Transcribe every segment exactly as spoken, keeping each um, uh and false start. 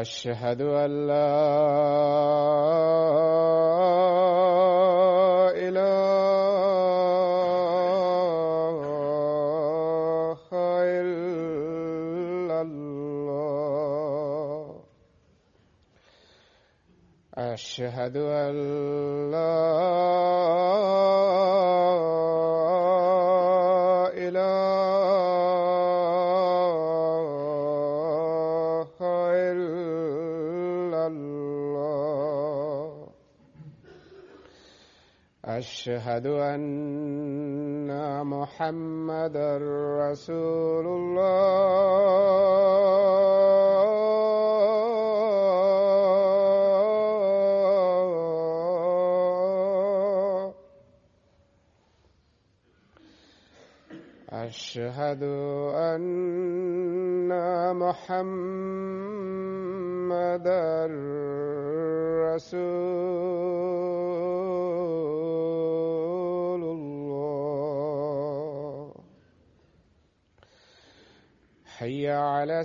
أشهد أن لا إله إلا الله أشهد أن لا إله إلا الله أشهد أن محمدا رسول الله أشهد أن محمدا رسول الله حي على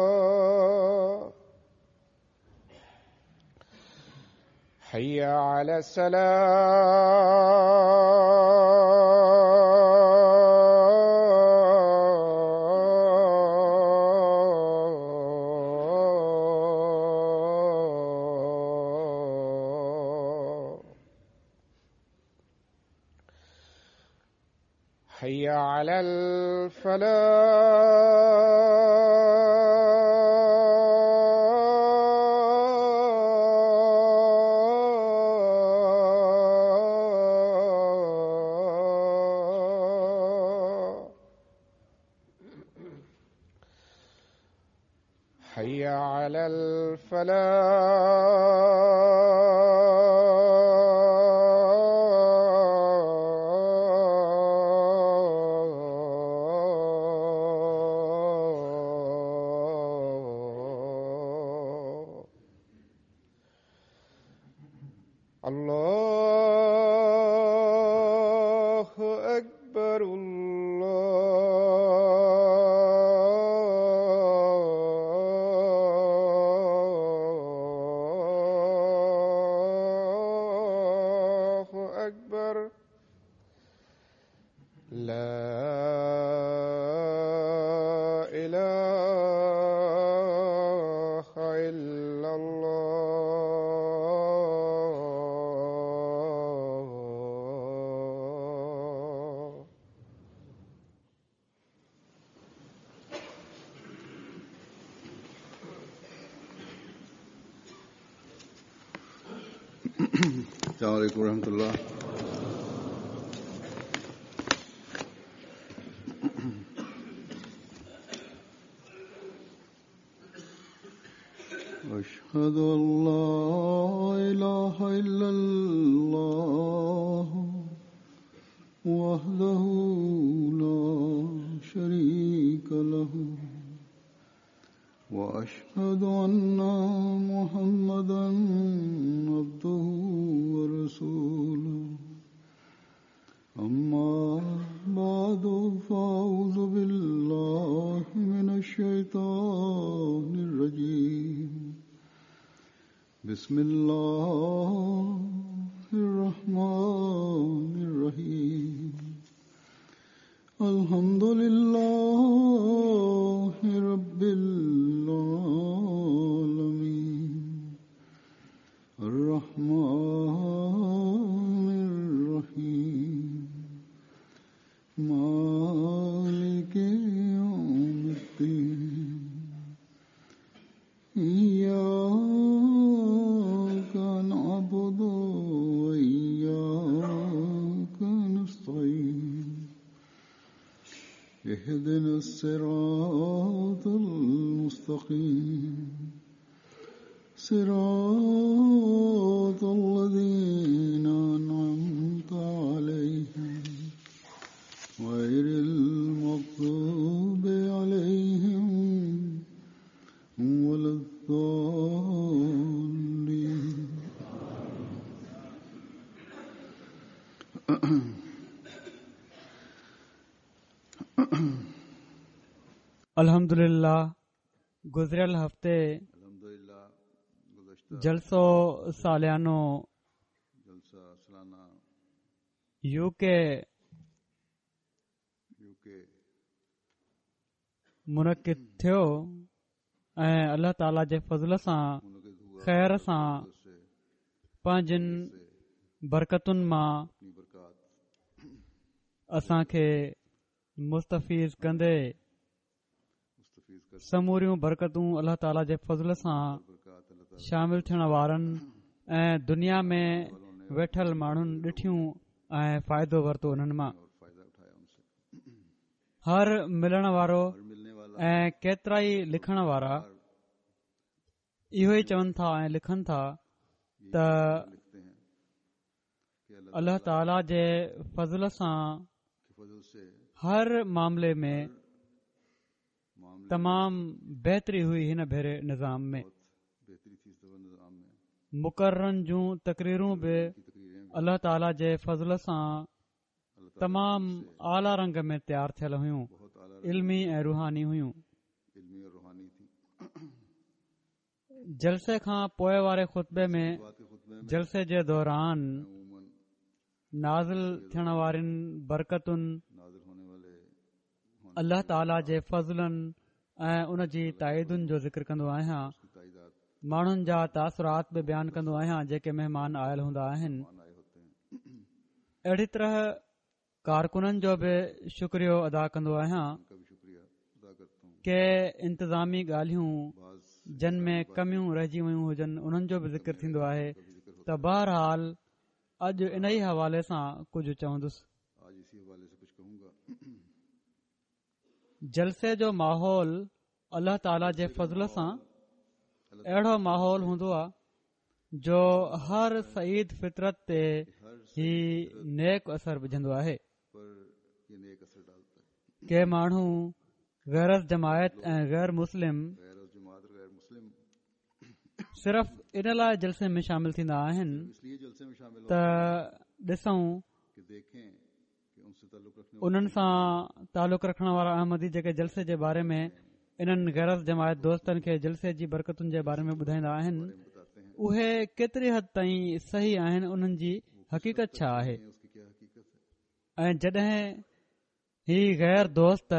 السلام حي على السلام حي على الفلاح حي على الفلاح الله أكبر الله أكبر لا إله إلا الله السلام عليكم ورحمة الله. أشهد أن لا إله إلا الله وحده لا شريك له وأشهد أن محمدا عبده ورسوله. أما بعد فأعوذ بالله من الشيطان الرجيم. بسم الله الرحمن الرحيم. الحمد لله رب العالمين الرحمن الرحيم مالك يوم الدين إياك نعبد وإياك نستعين اهدنا الصراط المستقيم صراط الذين أنعمت عليهم غير المغضوب عليهم ولا الضالين. अल्हम्दुलिल्लाह गुज़िरियल हफ़्ते जलसो सालियानो यूके मुनक़िद थियो ऐं अलाह ताला जे फ़ज़ल सां ख़ैर सां पंहिंजनि बरकतुनि मां असांखे मुस्तफ़ीज़ कंदे समूरियूं बरकतूं अलाह ताला जे फ़ज़ल सां शामिल थियण वारनि ऐं दुनिया में वेठल माण्हुनि ॾिठियूं ऐं फ़ाइदो वरितो उन्हनि मां। हर मिलण वारो ऐं केतिरा ई लिखण वारा इहो ई चवनि था ऐं लिखनि था त अलाह ताला जे फ़ज़ल सां हर मामले में तमाम बहितरी हुई। हिन भेरे निज़ाम में मुकर्रन जूं तकरीरूं बि अलाह ताला जे फ़ज़ल सां तमाम आला रंग में तयार थियल हुयूं, इल्मी ऐं रूहानी हुयूं। जलसे खां पोइ वारे ख़ुतबे में जलसे जे दौरान नाज़िल थियण वारिन बरकतुनि, अलाह ताला जे फ़ज़लनि ऐं उन जी ताईदुनि जो ज़िक्र कंदो आहियां। माण्हुनि जा तासुरात बि बयानु कंदो आहियां जेके महिमान आयल हूंदा आहिनि। अहिड़ी तरह कारकुननि जो बि शुक्रियो अदा कंदो आहियां। के इंतिज़ामी ॻाल्हियूं जन में कमियूं रहिजी वयूं हुजनि उन्हनि जो बि ज़िक्र थींदो आहे। त बहरहाल अॼु इन ई हवाले सां कुझु चवंदुसि। जलसे जो माहौल अलाह ताला जे फ़ज़ल सां अहिड़ो माहौल हूंदो आहे जो हर सईद फितरत ते ही नेक असर विझंदो आहे। के माण्हू गैर जमायत ऐं गैर मुस्लिम सिर्फ़ इन लाइ जलसे में शामिल थींदा आहिनि त ॾिसूं उन्हनि सां तालुक रखण वारा अहमदी जेके जलसे जे बारे में इन्हनि गैर जमायत दोस्तनि खे जलसे जी बरकतुनि जे बारे में ॿुधाईंदा आहिनि उहे केतिरी हद ताईं सही आहिनि, उन्हनि जी हक़ीक़त छा आहे। ऐं जॾहिं ही गैर दोस्त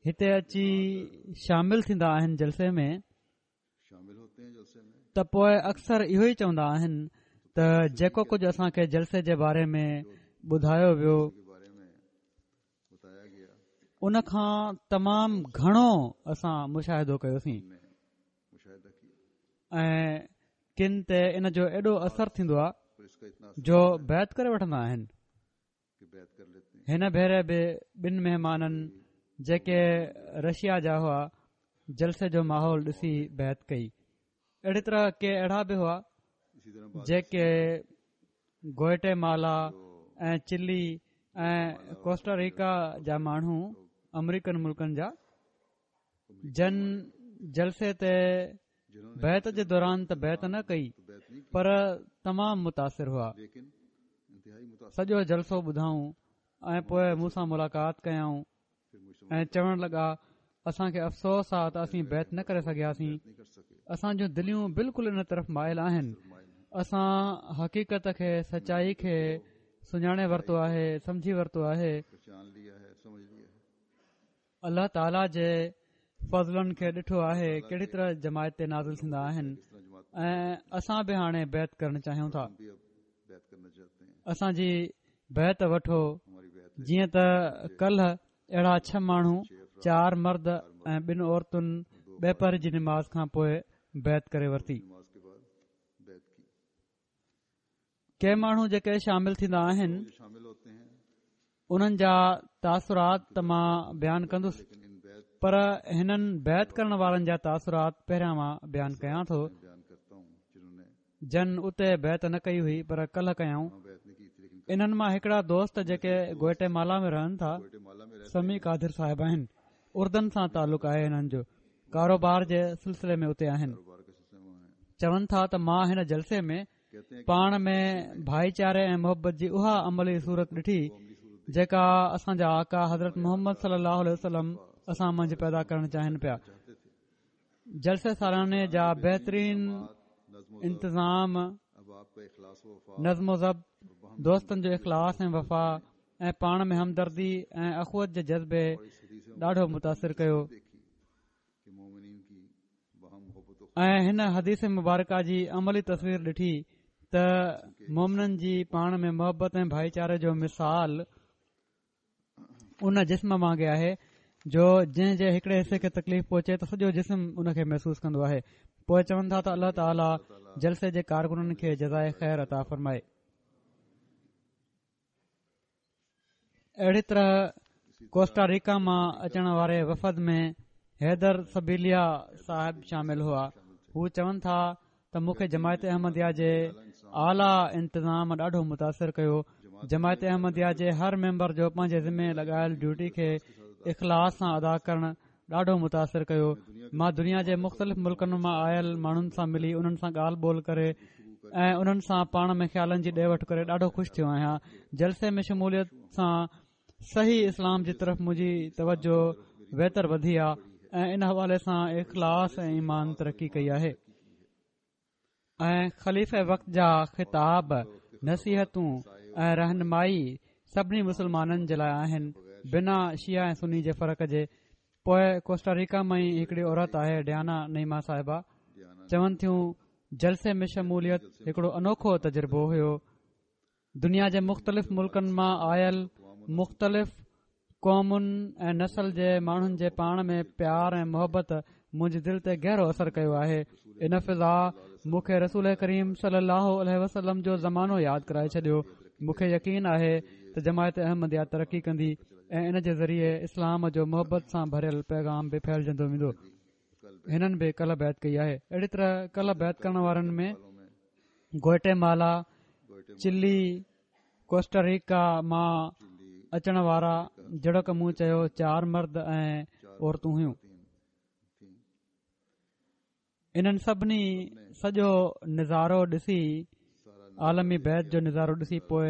हिते अची शामिल थींदा आहिनि जलसे में त पोइ अक्सर इहो ई चवंदा आहिनि त जेको कुझु असांखे जलसे जे बारे में ॿुधायो वियो उन खां तमाम घणो असां मुशाहिदो कयोसीं ऐं किन ते इन जो एॾो असर थींदो आहे जो बैत करे वठंदा आहिनि। हिन भेरे बि ॿिनि महिमाननि जेके रशिया जा हुआ जलसे जो माहौल ॾिसी बैत कई। अहिड़ी तरह के अहिड़ा बि हुआ जेके ग्वाटेमाला ऐं चिली ऐं कोस्टारिका जा माण्हू अमेरिकन मुल्कनि जा जन जलसे ते बैत जे दौरान त बैत न कई पर तमाम मुतासिर हुआ। सॼो जलसो ॿुधाऊं ऐं पोइ मूं सां मुलाक़ात कयाऊं ऐं चवण लॻा असांखे अफ़सोस आहे त असीं बैत न करे सघियासीं, असांजूं दिलियूं बिल्कुलु इन तरफ़ माइल आहिनि, असां हक़ीक़त खे सचाई खे सुञाणे वरितो आहे, सम्झी वरितो आहे। अलाह ताला जे फ़ज़लनि खे ॾिठो आहे कहिड़ी तरह जमायत ते नाज़िल थींदा आहिनि ऐं असां बि हाणे बैत करणु चाहियूं था, असांजी बैत वठो। जीअं त कल्ह अहिड़ा छह माण्हू, चार मर्द ऐं ॿिनि औरतुनि ॿेपहर जी नमाज़ खां पोइ बैत करे वरिती। के माण्हू जेके शामिल थींदा आहिनि उन्हनि जा तासुरात त मां बयानु कंदुसि पर हिननि बैत करण वारनि जा तासुरात पहिरियां मां बयानु कयां थो जन उते बैत न कई हुई पर कल्ह कयाऊं। इन्हनि मां हिकिड़ा दोस्त जेके ग्वाटेमाला में रहनि था समी कादिर साहिब आहिनि, उर्दन सां तालुक आहे हिननि जो, कारोबार जे सिलसिले में उते आहिनि। चवनि था त मां हिन जलसे में پاڻ ۾ ڀائيچاري ۽ محبت جي اها عملي صورت ڏٺي جيڪا اسان جا آقا حضرت محمد صلي الله عليه وسلم اسان منجهه پيدا ڪرڻ چاهين پيا. جلسي سالاني جا بهترين انتظام، نظم و ضبط، دوستن جو اخلاص ۽ وفا ۽ پاڻ ۾ همدردي ۽ اخوت جي جذبي ڏاڍو متاثر ڪيو. ۽ هن حديث مبارڪه جي عملي تصوير ڏٺي ته مومنن جي پاڻ ۾ محبت ۽ ڀائيچاري جو مثال ان جسم وانگي آهي جو جنهن جي هڪڙي حصي کي تڪليف پهچي ته سڄو جسم ان کي محسوس ڪندو آهي. پوءِ چون ٿا ته الله تعاليٰ جلسي جي ڪارڪنن کي جزائي خير عطا فرمائي. اهڙي طرح ڪوسٽا ريڪا مان اچڻ واري وفد ۾ حيدر سبيليا صاحب شامل هئا. هو چون ٿا ته مون کي جماعت احمديه جي اعليٰ انتظام ڏاڍو متاثر ڪيو. جماعت احمديه جي هر ميمبر جو پنهنجي ذمي لڳايل ڊيوٽي کي اخلاص سان ادا ڪرڻ ڏاڍو متاثر ڪيو. مان دنيا جي مختلف ملڪن مان آيل ماڻهن سان ملي انهن سان ڳالهه ٻولهه ڪري ۽ انهن سان پاڻ ۾ خيالن جي ڏي وٺ ڪري ڏاڍو خوش ٿيو آهيان. جلسي ۾ شموليت سان صحيح اسلام جي طرف منهنجي توجه ويتر وڌي آهي ۽ ان حوالي سان اخلاص ۽ ايمان ترقي ڪئي آهي. ۽ خليفه وقت جا خطاب، نصيحتون ۽ رهنمائي سڀني مسلمانن جي لاءِ آهن، بنا شيعه ۽ سني جي فرق جي. پوءِ ڪوسٽا ريڪا مان ئي هڪڙي عورت آهي، ڊيانا نعيمه صاحبه، چون ٿيون جلسي ۾ شموليت هڪڙو انوکو تجربو هيو. دنيا جي مختلف ملڪن مان آيل مختلف قومن ۽ نسل جي ماڻهن جي پاڻ ۾ پيار ۽ محبت منهنجي دل تي گهرو اثر ڪيو آهي. ان فضا مون کي رسول ڪريم صلي الله عليه وسلم جو زمانو ياد ڪرائي ڇڏيو. مون کي يقين آهي ته جماعت احمديه ترقي ڪندي ۽ ان جي ذريعي اسلام جو محبت سان ڀريل پيغام به ڦهلجندو ويندو. هنن به ڪلهه بيعت ڪئي آهي. اهڙي طرح ڪلهه بيعت ڪرڻ وارن ۾ گوئٽيمالا، چلي، ڪوسٽاريڪا مان اچڻ وارا جهڙوڪ مون چيو چار مرد ۽ عورتون هيون. انهن سڀني سڄو نظارو ڏسي، عالمي بيعت جو نظارو ڏسي، پوءِ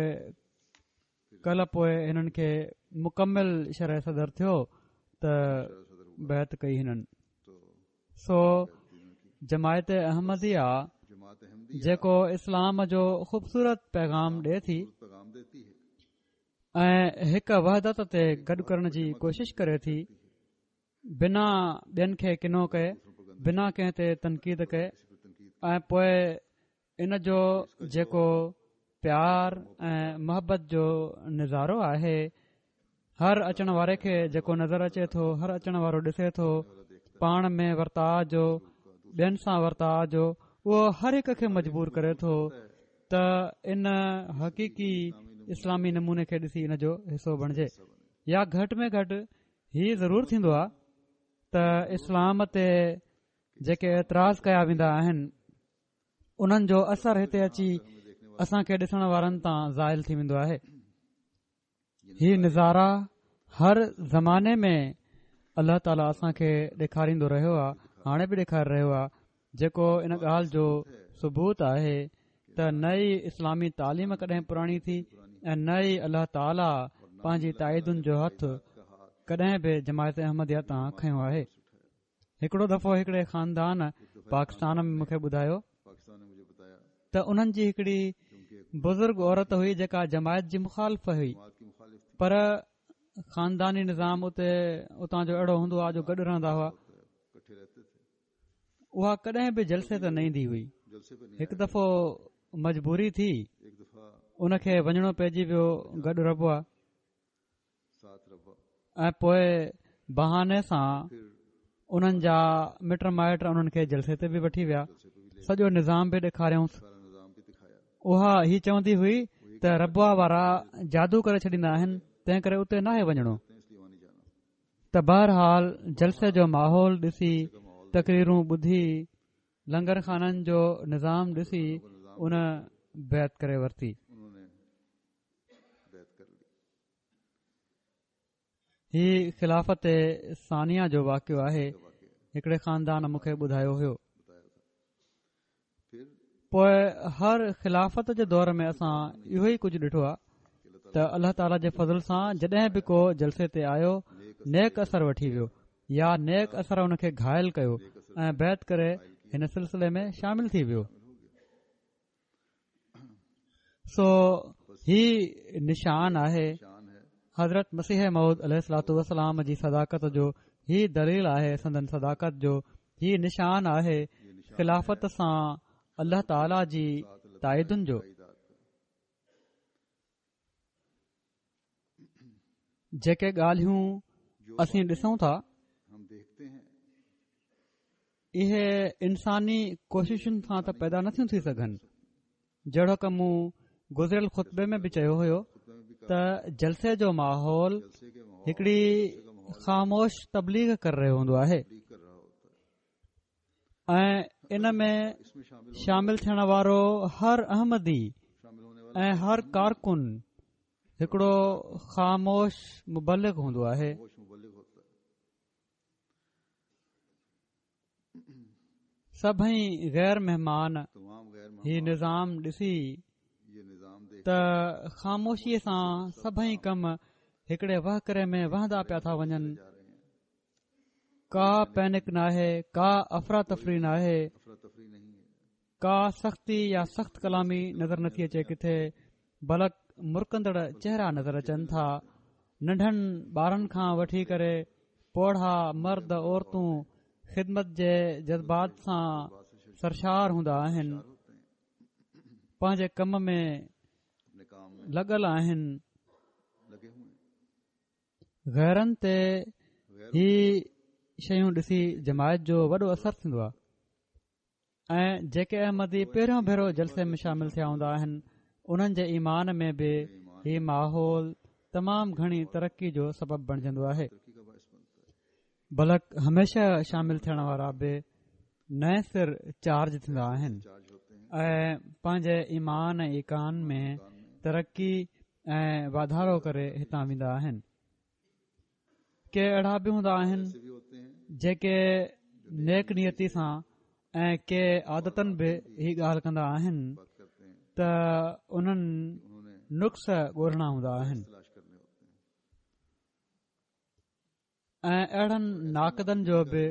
ڪلهه پوءِ هنن کي مڪمل شرح صدر ٿيو ته بيعت ڪئي هنن. سو جماعت احمديه جيڪو اسلام جو خوبصورت پيغام ڏئي ٿي ۽ هڪ وحدت تي گڏ ڪرڻ جي ڪوشش ڪري ٿي، بنا ٻين کي ڪنو ڪئي، بنا ڪنهن تي تنقيد ڪئي، ۽ پوءِ ان جو جيڪو پيار ۽ محبت جو نظارو آهي، هر اچڻ واري کي جيڪو نظر اچي ٿو، هر اچڻ وارو ڏسي ٿو، پاڻ ۾ ورتاءُ جو، ٻين سان ورتاءُ جو، اهو هر هڪ کي مجبور ڪري ٿو ته ان حقيقي اسلامي نموني کي ڏسي ان جو حصو بڻجي. يا گهٽ ۾ گهٽ هي ضرور ٿيندو آهي ته اسلام تي جيڪي اعتراض ڪيا ويندا آهن انهن جو اثر هتي اچي اسان کي ڏسڻ وارن تان زائل ٿي ويندو آهي. هي نظارا هر زماني ۾ الله تعاليٰ اسان کي ڏيکاريندو رهيو آهي، هاڻي به ڏيکاري رهيو آهي، جيڪو ان ڳالهه جو ثبوت آهي ته نه ئي اسلامي تعليم ڪڏهن پراڻي ٿي ۽ نه ئي الله تعاليٰ پنهنجي تائيدن جو هٿ ڪڏهن به جماعت احمديه تان کنيو آهي. هڪڙو دفعو هڪڙي خاندان پاڪستان ۾ مون کي ٻڌايو ته انهن جي هڪڙي بزرگ عورت هئي جيڪا جماعت جي مخالف هئي، پر خانداني نظام اتي اتان جو اهڙو هوندو آهي جو گڏ رهندا هئا. اها ڪڏهن به جلسي تي نه ايندي هئي. هڪ دفعو مجبوري ٿي ان کي وڃڻو پئجي ويو گڏ ربوه، ۽ پوءِ بهاني سان انهن جا مٽ مائٽ انهن کي جلسي تي به وٺي ويا، سڄو نظام به ڏيکاريائونس. اها هي چوندي هئي ته ربوه وارا جادو ڪري ڇڏيندا آهن، تنهن ڪري اتي ناهي وڃڻو. ته بهرحال جلسي جو ماحول ڏسي، تقريرون ٻڌي، لنگر خانن جو نظام ڏسي ان بيعت ڪري ورتي. هي خلافت ثانيه جو واقعو آهي. هڪڙي خاندان مون کي ٻڌايو هيو. پوءِ هر خلافت جي دور ۾ اسان اهو ئي ڪجهه ڏٺو آهي ته الله تعاليٰ جي فضل سان جڏهن به ڪو جلسي تي آيو نيڪ اثر وٺي ويو يا نيڪ اثر ان کي گهايل ڪيو ۽ بيعت ڪري هن سلسلي ۾ شامل ٿي ويو. سو هي نشان آهي حضرت مسيح موعود عليه الصلوة والسلام جي صداقت جو، هي دليل آهي سندن صداقت جو، هي نشان آهي خلافت سان الله تعاليٰ جي تائيدن جو. جيڪي ڳالهيون اسين ڏسون ٿا اهي انساني ڪوششن سان ته پيدا نٿيون ٿي سگهن. جهڙوڪ مون گذريل خطبي ۾ به چيو هيو ته جلسي جو ماحول هڪڙي خاموش تبليغ ڪري رهيو هوندو آهي ۽ ان ۾ شامل ٿيڻ وارو هر احمدي ۽ هر ڪارڪن هڪڙو خاموش مبلغ هوندو آهي. سڀئي غير مهمان هي نظام ڏسي ته خاموشيءَ سان سڀئي ڪم هڪڙي وهڪري ۾ وهندا پيا ٿا وڃن، ڪا پينڪ ناهي، ڪا افراتفري ناهي، ڪا سختي يا سخت ڪلامي نظر نٿي اچي ڪٿي، بلڪ مرڪندڙ چهرا نظر اچن ٿا. ننڍن ٻارن کان وٺي ڪري پوڙها، مرد، عورتون خدمت جي جذبات سان سرشار هوندا آهن، پنهنجي ڪم ۾ لڳل آهن. غيرن تي هي شيون ڏسي جماعت جو وڏو اثر ٿيندو آهي ۽ جيڪي احمدي پهريون ڀيرو جلسي ۾ شامل ٿيا هوندا آهن انهن جي ايمان ۾ به هي ماحول تمام گهڻي ترقي جو سبب بڻجندو آهي. بلڪ هميشه شامل ٿيڻ وارا به نئين سر چارج ٿيندا آهن ۽ پنهنجي ايمان ۽ ايقان ۾ ترقي ۽ واڌارو ڪري هتان ويندا آهن. ڪي اهڙا به هوندا آهن جيڪي نيڪ نيتي سان ۽ ڪي عادتن به هي ڳالهه ڪندا آهن ته انهن نقص ڳولڻا هوندا آهن ۽ اهڙن ناقدن جو به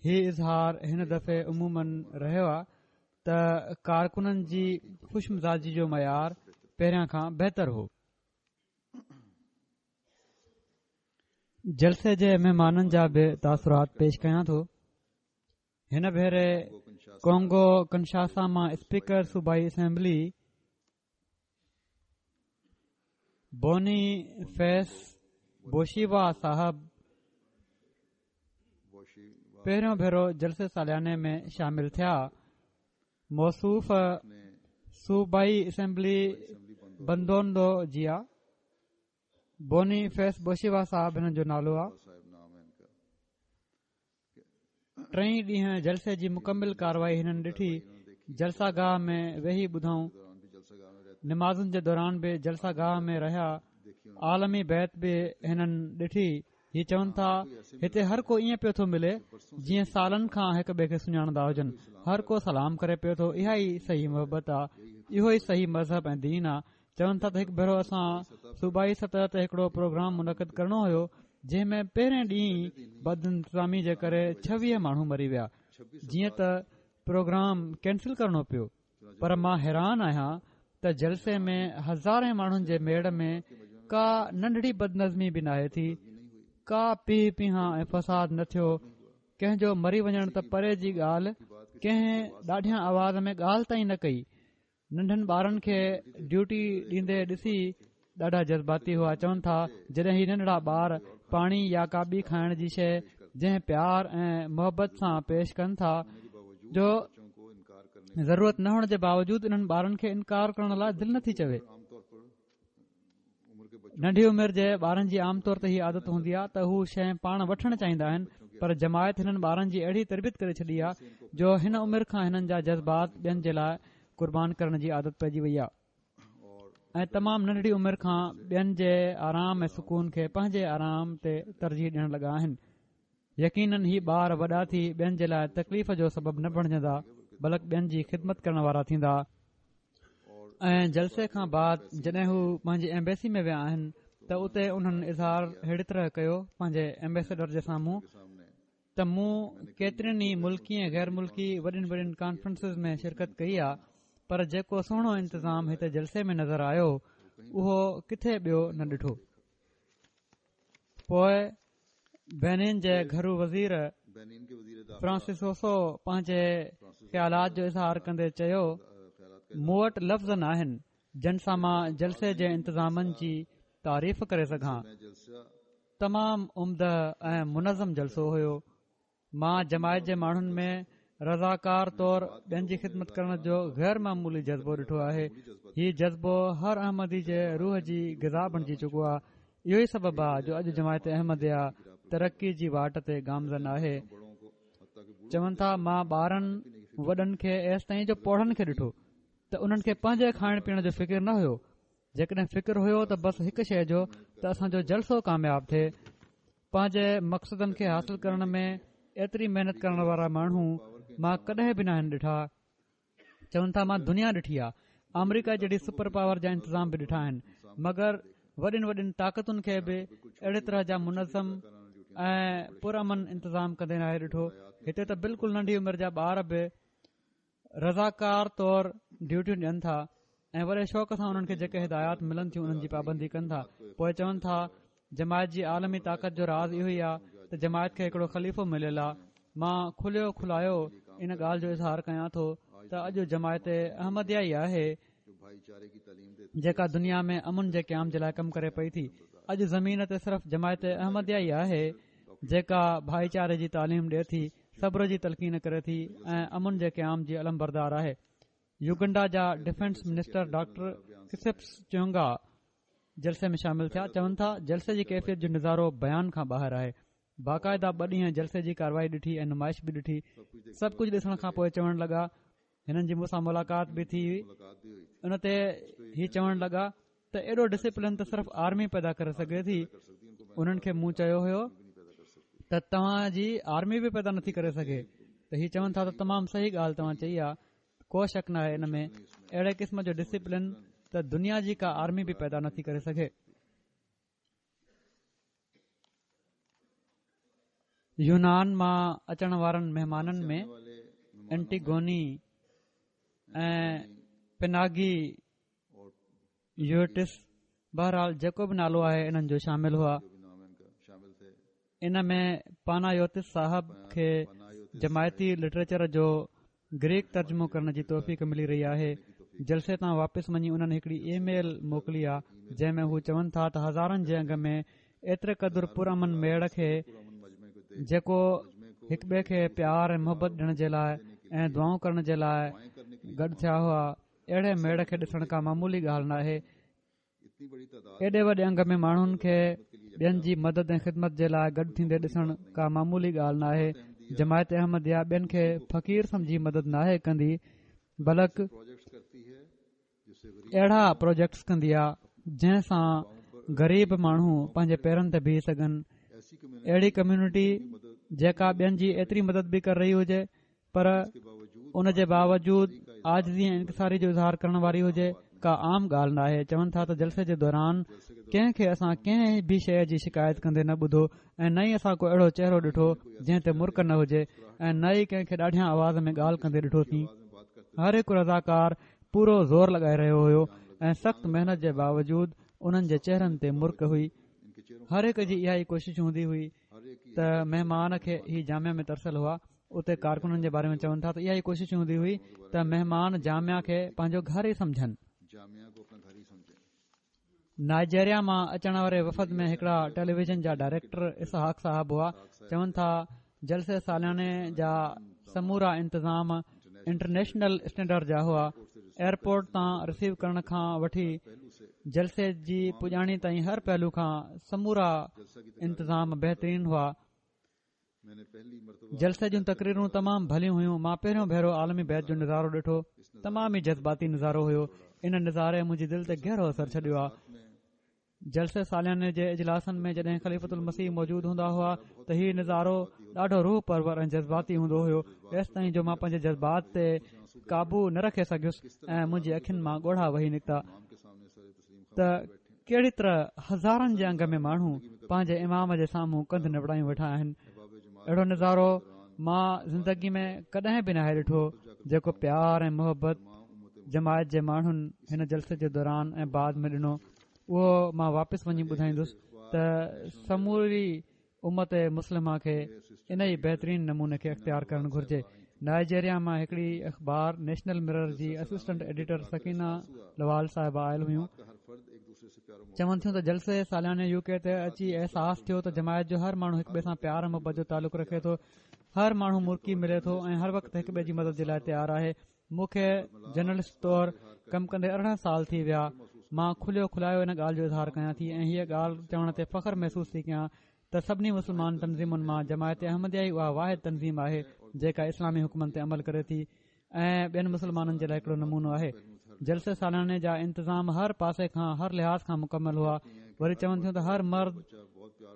هي اظهار هن دفعي عموماً رهيو آهي ته ڪارڪنن جي خوش مزاجي جو معيار پهريان کان بهتر هو. جلسي جي مهمانن جا به تاثرات پيش ڪيان ٿو. هن ڀيري ڪونگو ڪنشاسا مان اسپيڪر صوبائي اسيمبلي بوني فيس بوشيوا صاحب پهريون ڀيرو جلسي سالياني ۾ شامل ٿيا. موصوف صوبائي اسيمبلي بندوندو جيا بوني فيس بوشيوا صاحب هنن جو نالو آهي. ٽئين ڏينهن جلسي جي مڪمل ڪارروائي هنن ڏٺي. جلسه گاهه ۾ ويهي ٻڌائون. نمازن جي دوران به جلسه گاهه ۾ رهيا. عالمي بيعت به هنن ڏٺي. هي چون ٿا هتي هر ڪو ائين پيو ٿو ملي جيئن سالن کان هڪ ٻئي کي سڃاڻندا هجن. هر ڪو سلام ڪري پيو ٿو. اها ئي صحيح محبت آهي، اهو ئي صحيح مذهب ۽ دين آهي. چون ٿا ته هڪ ڀيرو اسان صوبائي سطح تي هڪڙو پروگرام منعقد ڪرڻو هيو جنهن ۾ پهرين ڏينهن ئي بدانتظامي جي ڪري ڇويهه ماڻهو مري ويا، جيئن ته پروگرام ڪينسل ڪرڻو پيو. پر مان حيران آهيان ته جلسي ۾ هزارين ماڻهن جي ميڙ ۾ ڪا ننڍڙي بدنظمي به ناهي ٿي، ڪا پيهه پيهان ۽ فساد نه ٿيو. ڪنهن جو مري وڃڻ ته پري جي ڳالهه، ڪنهن ڏاڍيان آواز ۾ ڳالهه تائين نه ڪئي. ننڍن ٻارن کي ڊيوٽي ڏيندي ڏسي ڏاڍا جذباتي هئا. چون ٿا جڏهن هي ننڍڙا ٻار پاڻي يا ڪا ٻي کائڻ جي شيءِ جنهن پيار ۽ محبت سان پيش ڪن ٿا جو ضرورت نه هئڻ جي باوجود انهن ٻارن کي انڪار ڪرڻ لاءِ دل نٿي چوي. ننڍي عمر جي ٻارن جي عام طور تي هي عادت هوندي آهي ته هو شيءِ پاڻ وٺڻ چاهيندا آهن، پر جماعت هنن ٻارن جي اهڙي تربيت ڪري ڇڏي آهي جو هن عمر کان هنن جا جذبات ٻين جي لاءِ قربان ڪرڻ جي عادت پئجي وئي آهي ۽ تمام ننڍڙي عمر کان ٻين جي آرام ۽ سڪون کي پنهنجي آرام تي ترجيح ڏيڻ لڳا آهن. يقينن هي ٻار وڏا ٿي ٻين جي لاءِ تڪليف جو سبب نه بڻجندا. بلڪ ٻين جي خدمت ڪرڻ وارا ٿيندا. ۽ جلسي کان بعد جڏهن هو پنهنجي ايمبيسي ۾ ويا آهن ته اتي انهن اظهار اهڙي طرح ڪيو پنهنجي ايمبيسڊر جي سامهون ته مون ڪيترين ئي ملڪي ۽ غير ملڪي وڏين وڏين ڪانفرنسز ۾ شرڪت ڪئي آهي، پر جيڪو سهڻو انتظام هتي جلسي ۾ نظر آيو اهو ڪٿي ٻيو نه ڏٺو. پوءِ بينين جي گهرو وزير فرانسسوسو پنهنجي خيالات جو اظهار ڪندي چيو، مون وٽ لفظ نه آهن جن سان مان جلسي جي انتظامن جي تعريف ڪري سگهان. تمام عمده ۽ منظم جلسو هيو. مان جماعت جي ماڻهن ۾ رضاڪار طور ٻين جي خدمت ڪرڻ جو غير معمولي جذبو ڏٺو آهي. هي جذبو هر احمدي جي روح جي غذا بڻجي چڪو آهي. اهو ئي سبب آهي جو اڄ جماعت احمديه ترقي جي واٽ تي گامزن آهي. چون ٿا مان ٻارن وڏن کي ايستائين جو پوڙهن کي ڏٺو ته انهن کي پنهنجي کائڻ پيئڻ جو فڪر نه هيو. جيڪڏهن فڪر هيو ته بس هڪ شيءِ جو ته اسان جو جلسو ڪامياب ٿئي. پنهنجي مقصدن کي حاصل ڪرڻ ۾ ايتري محنت ڪرڻ وارا ماڻهو مان ڪڏهن به ناهن ڏٺا. چون ٿا مان دنيا ڏٺي آهي، آمريڪا جهڙي سپر پاور جا انتظام به ڏٺا آهن، مگر وڏين وڏين طاقتن کي به اهڙي طرح جا منظم ۽ پرامن انتظام ڪندي ناهي ڏٺو. هتي ته بلڪل ننڍي عمر جا ٻار به رضاڪار طور ڊيوٽيون ڏين ٿا ۽ وڏي شوق سان انهن کي جيڪي هدايات ملن ٿيون انهن جي پابندي ڪن ٿا. پوءِ چون ٿا جماعت جي عالمي طاقت جو راز اهو ئي آهي ته جماعت کي هڪڙو خليفو مليل آهي. مان کليو کلايو ان ڳالهه جو اظهار ڪيان ٿو ته اڄ جماعت احمديه ئي آهي جيڪا دنيا ۾ امن جي قيام جي لاءِ ڪم ڪري پئي ٿي. اڄ زمين تي صرف جماعت احمديه ئي آهي جيڪا ڀائيچاري جي تعليم ڏئي ٿي، صبر جي تلقين ڪري ٿي ۽ امن جي قيام جي علم بردار آهي. يوگنڊا جا ڊفينس منسٽر ڊاڪٽر ڪسپس چونگا جلسي ۾ شامل ٿيا. چون ٿا جلسي جي ڪيفيت جو نظارو بيان کان ٻاهر آهي. باقاعده ٻه ڏينهن جلسي جي ڪارروائي ڏٺي ۽ نمائش به ڏٺي. سڀ ڪجهه ڏسڻ کان پوءِ چوڻ لڳا، هنن جي مون سان ملاقات به ٿي هئي، ان تي هي چوڻ لڳا ته ايڏو ڊسپلن ته صرف آرمي پيدا ڪري سگهي ٿي. انهن کي مون چيو هيو ته توهان جي آرمي به پيدا نٿي ڪري سگهي. ته هي چون ٿا ته تمام صحيح ڳالهه توهان چئي آهي، ڪو شڪ نه آهي ان ۾. اهڙي قسم جو ڊسپلن ته دنيا جي ڪا آرمي به پيدا نٿي ڪري سگهي. يونان مان اچڻ وارن مهمانن ۾ اينٽيگوني ۽ پناگي يوٽس، بهرحال جيڪو به نالو آهي انهن جو شامل هئا. ان ۾ پانايوتس صاحب کي جماعتي لٽريچر جو گريڪ ترجمو ڪرڻ جي توفيق ملي رهي آهي. جلسي تان واپس وڃي انهن هڪڙي اي ميل موڪلي آهي جنهن ۾ هو چون ٿا ته هزارن جي انگ ۾ ايتري قدر پرامن ميڙ کي جيڪو هڪ ٻئي کي پيار ۽ محبت ڏيڻ جي لاءِ ۽ دعائون ڪرڻ جي لاءِ گڏ ٿيا هئا، اهڙي ميڙ کي ڏسڻ ڪا معمولي ڳالهه نه آهي. ايڏي وڏي انگ ۾ ماڻهن کي ٻين جي مدد ۽ خدمت جي لاءِ گڏ ٿيندي ڏسڻ ڪا معمولي ڳالهه نه آهي. جماعت احمديه ٻين کي فقير سمجهي مدد ناهي ڪندي، بلڪ اهڙا پروجيڪٽس ڪندي آهي جنهن سان غريب ماڻهو پنهنجي پيرن تي بيهي سگهن. اهڙي ڪميونٽي جيڪا ٻين جي ايتري مدد به ڪري رهي هجي پر ان جي باوجود عاجزي ۽ انڪساري جو اظهار ڪرڻ واري هجي، ڪا عام ڳالهه نه آهي. چون ٿا ته جلسي جي دوران ڪنهن کي اسان ڪنهن به شيءِ جي شڪايت ڪندي نه ٻڌو ۽ نه ئي اسان ڪو اهڙو چهرو ڏٺو جنهن تي مرڪ نه هجي ۽ نه ئي ڪنهن کي ڏاڍيان آواز ۾ ڳالهه ڪندي ڏٺوسين. هر هڪ رضاڪار پورو زور لڳائي رهيو هيو ۽ سخت محنت جي باوجود انهن جي چهرن تي مرڪ هئي. هر هڪ جي اها ئي ڪوشش هوندي هئي ته مهمان کي هي جامعه ۾ ترسيل هئا. اتي ڪارڪنن جي باري ۾ چون ٿا ته اها ئي ڪوشش هوندي هئي ته مهمان جامعه کي پنهنجو گهر ئي سمجهن. نائجيريا مان اچڻ واري وفد ۾ هڪڙا ٽيليويزن جا ڊائريڪٽر اسحاق صاحب هئا. چون ٿا جلسي سالياني جا سمورا انتظام انٽرنيشنل اسٽينڊرڊ جا هئا. ايئرپورٽ تان رسيو ڪرڻ کان وٺي جلسي جي پڄاڻي تائين هر پهلو کان سمورا انتظام بهترين هئا. جلسي جون تقريرون تمام ڀليون هيون. مان پهريون ڀيرو عالمي بيعت جو نظارو ڏٺو. تمام ئي جذباتي نظارو هيو. ان نظاري منهنجي دل تي گهرو اثر ڇڏيو آهي. جلسي سالياني جي اجلاسن ۾ جڏهن خليفة المسيح موجود هوندا هئا ته هي نظارو ڏاڍو روح پرور ۽ جذباتي هوندو هيو، ايستائين جو مان پنهنجي جذبات تي قابو نه رکي سگهيس ۽ منهنجي اکين مان ڳوڙها وهي نڪتا ته ڪهڙي طرح هزارن جي انگ ۾ ماڻهو پنهنجي امام جي سامهون ڪنڌ نوڙايون ويٺا آهن. اهڙو نظارو مان زندگي ۾ ڪڏهن به ناهي ڏٺو جيڪو پيار ۽ محبت جماعت جي ماڻهن هن جلسي جي دوران ۽ بعد ۾ ڏنو. اهو مان واپس وڃي ٻڌائيندس ته سموري امت مسلمه کي ان ئي بهترين نموني کي اختيار ڪرڻ گهرجي. نائجيريا مان هڪڙي اخبار نيشنل مرر جي اسسٽنٽ ايڊيٽر سڪينه لوال صاحبه آيل هيون. چون ٿيون ته جلسي سالياني يو ڪي تي اچي احساس ٿيو ته جماعت جو هر ماڻهو هڪ ٻئي سان پيار ۽ محبت جو تعلق رکي ٿو. هر ماڻهو مرڪي ملي ٿو ۽ هر وقت هڪ ٻئي جي مدد جي لاء تيار آهي. مون کي جرنلسٽ طور ڪم ڪندي ارڙهن سال ٿي ويا. مان کليو کلايو ان ڳالهه جو اظهار ڪيان ٿي ۽ هيء ڳالهه چوڻ تي فخر محسوس ٿي ڪيان ته سڀني مسلمان تنظيمن مان جماعت احمديه ئي اها واحد تنظيم آهي جيڪا اسلامي حڪمن تي عمل ڪري ٿي ۽ ٻين مسلمانن جي لاء هڪڙو نمونو آهي. جلسي سالياني جا انتظام هر پاسي کان هر لحاظ کان مڪمل هئا. وري چون ٿيون ته هر مرد،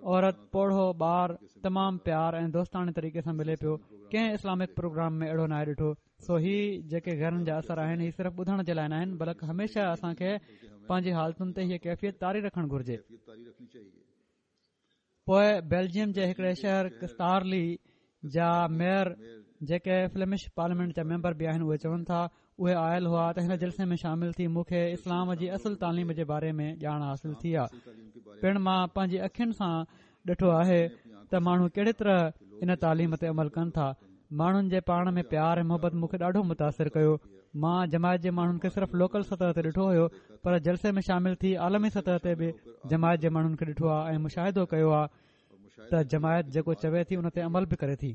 عورت، پوڙهو، ٻار تمام پيار ۽ دوستاڻي طريقي سان ملي پيو. ڪنهن اسلامڪ پروگرام ۾ اهڙو ناهي ڏٺو. سو هي جيڪي غيرن جا اثر آهن هي صرف ٻڌڻ جي لاء ناهن بلڪ هميشه اسان کي پنهنجي حالتن تي هيء ڪيفيت طاري رکڻ گهرجي. پوء بيلجيم جي هڪڙي شهر ڪستارلي جا ميئر جيڪي فليمش پارليامينٽ جا ميمبر به آهن اهي چون ٿا اهي آيل هئا ته هن جلسي ۾ شامل ٿي مون کي اسلام جي اصل تعليم جي باري ۾ ڄاڻ حاصل ٿي آ. پڻ مان پنهنجي اکين سان ڏٺو آهي ته ماڻهو ڪهڙي طرح ان تعليم تي عمل ڪن ٿا. ماڻهن جي پاڻ ۾ پيار ۽ محبت مون کي ڏاڍو متاثر ڪيو. مان جماعت جي ماڻهن کي صرف لوڪل سطح تي ڏٺو هيو پر جلسي ۾ شامل ٿي عالمي سطح تي به جماعت جي ماڻهن کي ڏٺو آهي ۽ مشاهدو ڪيو آهي ته جماعت جيڪو چوي ٿي ان تي عمل به ڪري ٿي.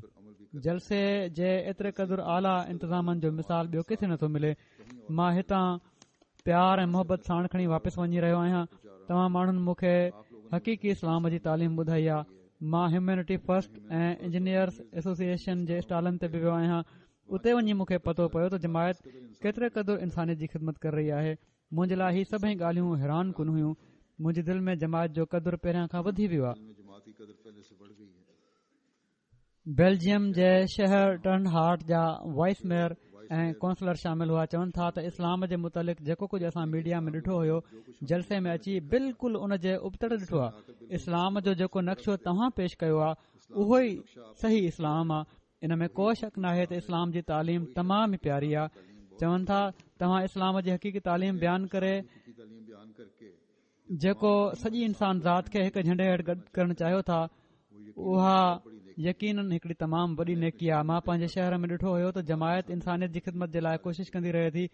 جلسي جي ايتري قدر اعليٰ انتظامن جو مثال ٻيو ڪٿي نٿو ملي. مان هتان پيار ۽ محبت ساڻ کڻي واپس وڃي رهيو آهيان. توهان ماڻهن مون کي حقيقي اسلام جي تعليم ٻڌائي آهي. مان هيومينٽي فرسٽ ۽ انجنيئرس ايسوسيئيشن جي اسٽالن تي به ويو آهيان. اتي وڃي مون کي پتو پيو ته جماعت ڪيتري قدر انسانيت جي خدمت ڪري رهي آهي. منهنجي لاء هي سڀئي ڳالهيون حيران ڪن هيون. منهنجي دل ۾ جماعت جو قدر پهريان کان وڌي ويو آهي. بيلجيم جي شهر ٽرن هارٽ جا وائس ميئر ۽ ڪونسلر شامل هئا. چون ٿا ته اسلام جي متعلق جيڪو ڪجهه اسان ميڊيا ۾ ڏٺو هيو جلسي ۾ اچي بلڪل ان جي ابتڙ ڏٺو آهي. اسلام جو جيڪو نقشو توهان پيش ڪيو آهي اهو ئي صحيح اسلام آهي. ان ۾ ڪو شڪ ناهي ته اسلام جي تعليم تمام ئي پياري آهي. چون ٿا توهان اسلام جي حقيقي تعليم بيان ڪري جيڪو سڄي انسان ذات کي هڪ جهنڊي هيٺ گڏ ڪرڻ چاهيو ٿا اها يقينن هڪڙي تمام وڏي نيڪي آهي. مان پنهنجي شهر ۾ ڏٺو هيو ته جماعت انسانيت جي خدمت جي لاء ڪوشش ڪندي رهي ٿي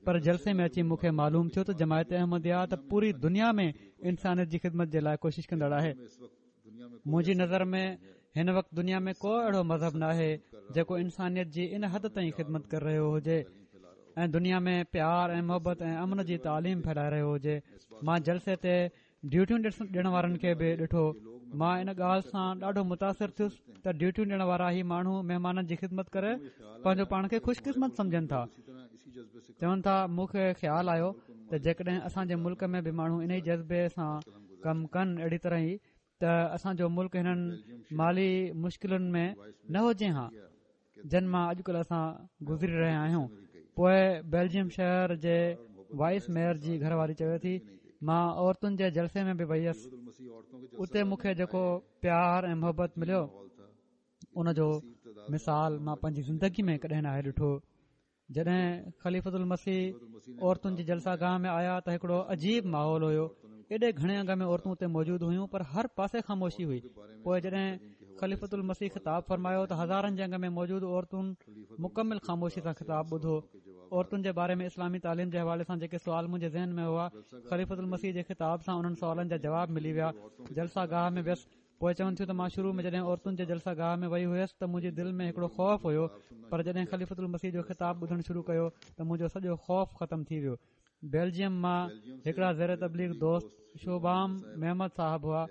پر جلسي ۾ اچي مون کي معلوم ٿيو ته جماعت احمديه ته پوري دنيا ۾ انسانيت جي خدمت جي لاء ڪوشش ڪندڙ آهي. منهنجي نظر ۾ هن وقت دنيا ۾ ڪو اهڙو مذهب ناهي جيڪو انسانيت جي ان حد تائين خدمت ڪري رهيو هجي ۽ دنيا ۾ پيار ۽ محبت ۽ امن جي تعليم ڦهلائي رهيو هجي. مان جلسي تي ڊيوٽيون ڏيڻ وارن کي به ڏٺو. مان ان ڳالهه سان ڏاڍو متاثر ٿيس ته ڊيوٽيون ڏيڻ وارا هي ماڻهو مهمانن جي خدمت ڪري پنهنجو پاڻ کي خوش قسمت سمجهن ٿا. چون ٿا مون کي خيال آيو ته جيڪڏهن اسان جي ملڪ ۾ به ماڻهو انهي جذبي سان ڪم ڪن اهڙي طرح ئي ته اسان جو ملڪ هنن مالي مشڪلن ۾ نه هجي ها جن مان اڄڪلهه اسان گذري رهيا آهيون. پوء بيلجيم شهر جي وائس ميئر جي گهر واري چوي ٿي مان عورتن جي جلسي ۾ به وئي هيس. اتي مون کي جيڪو پيار ۽ محبت مليو ان جو مثال مان پنهنجي زندگي ۾ ڪڏهن ناهي ڏٺو. جڏهن خليفة المسيح عورتن جي جلسه گاهه ۾ آيا ته هڪڙو عجيب ماحول هيو. ايڏي گهڻي انگ ۾ عورتون اتي موجود هيون پر هر پاسي خاموشي هئي. پوء جڏهن خليفة المسيح خطاب فرمايو ته هزارن جي انگ ۾ موجود عورتن مڪمل خاموشي سان خطاب ٻڌو. عورتن جي باري ۾ اسلامي تعليم جي حوالي سان جيڪي سوال منهنجي ذهن ۾ هئا خليفة المسيح جي خطاب سان انهن سوالن جا جواب ملي ويا. جلسه گاهه ۾ ويس. پوءِ چون ٿيون ته مان شروع ۾ جڏهن عورتن جي جلسه گاهه ۾ وئي هيس ته منهنجي دل ۾ هڪڙو خوف هيو پر جڏهن خليفة المسيح جو خطاب ٻڌڻ شروع ڪيو ته منهنجو سڄو خوف ختم ٿي ويو. بيلجيم مان هڪڙا زير تبليغ دوست شوبام محمد صاحب هئا.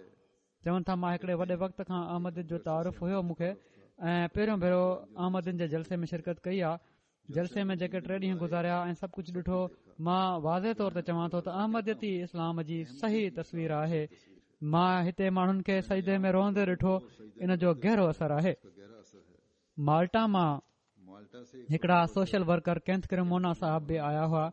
چون ٿا مان هڪڙي وڏي وقت کان احمديت جو تعارف هيو مون کي ۽ پهريون ڀيرو احمدين جي جلسي ۾ شرڪت ڪئي آ. جلسي ۾ جيڪي ٽي ڏينهن گذاريا ۽ سڀ ڪجهه ڏٺو مان واضح طور تي چوان ٿو ته احمديتي اسلام جي صحيح تصوير آهي. مان هتي ماڻهن کي سجدي ۾ روئندي ڏٺو، ان جو گهرو اثر آهي. مالٽا مان هڪڙا سوشل ورڪر ڪينٿ ڪريمونا صاحب به آيا هئا،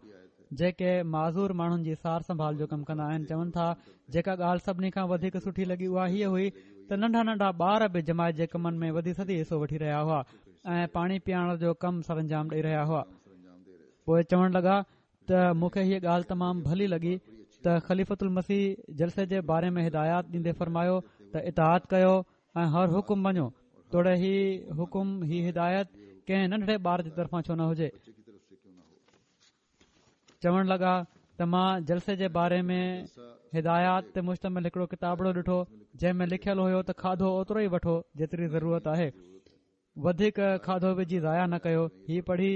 جيڪي معذور ماڻهن جي سار سنڀال جو ڪم ڪندا آهن. چون ٿا جيڪا ڳالهه سڀني کان وڌيڪ سٺي لڳي اها هيء هئي ته ننڍا ننڍا ٻار به جماعت جي ڪمن ۾ وڌي سڌي حصو وٺي رهيا هئا ۽ پاڻي پيارڻ جو ڪم سرانجام ڏئي رهيا هئا. پوءِ چوڻ لڳا ته مون کي هيءَ ڳالهه تمام ڀلي لڳي ته خليفة المسيح جلسي جي باري ۾ هدايات ڏيندي فرمايو ته اطاعت ڪيو ۽ هر حڪم مڃو، توڙي هي حڪم هي هدايت ڪنهن ننڍڙي ٻار جي طرفان ڇو نه هجي. چوڻ لڳا ته مان جلسي جي باري ۾ هدايات تي مشتمل هڪڙو ڪتابڙو ڏٺو، جنهن ۾ لکيل هيو ته کاڌو اوترو ئي وٺو جيتري ضرورت آهي، وڌيڪ کاڌو وجهي ضايع نه ڪيو. هي پڙهي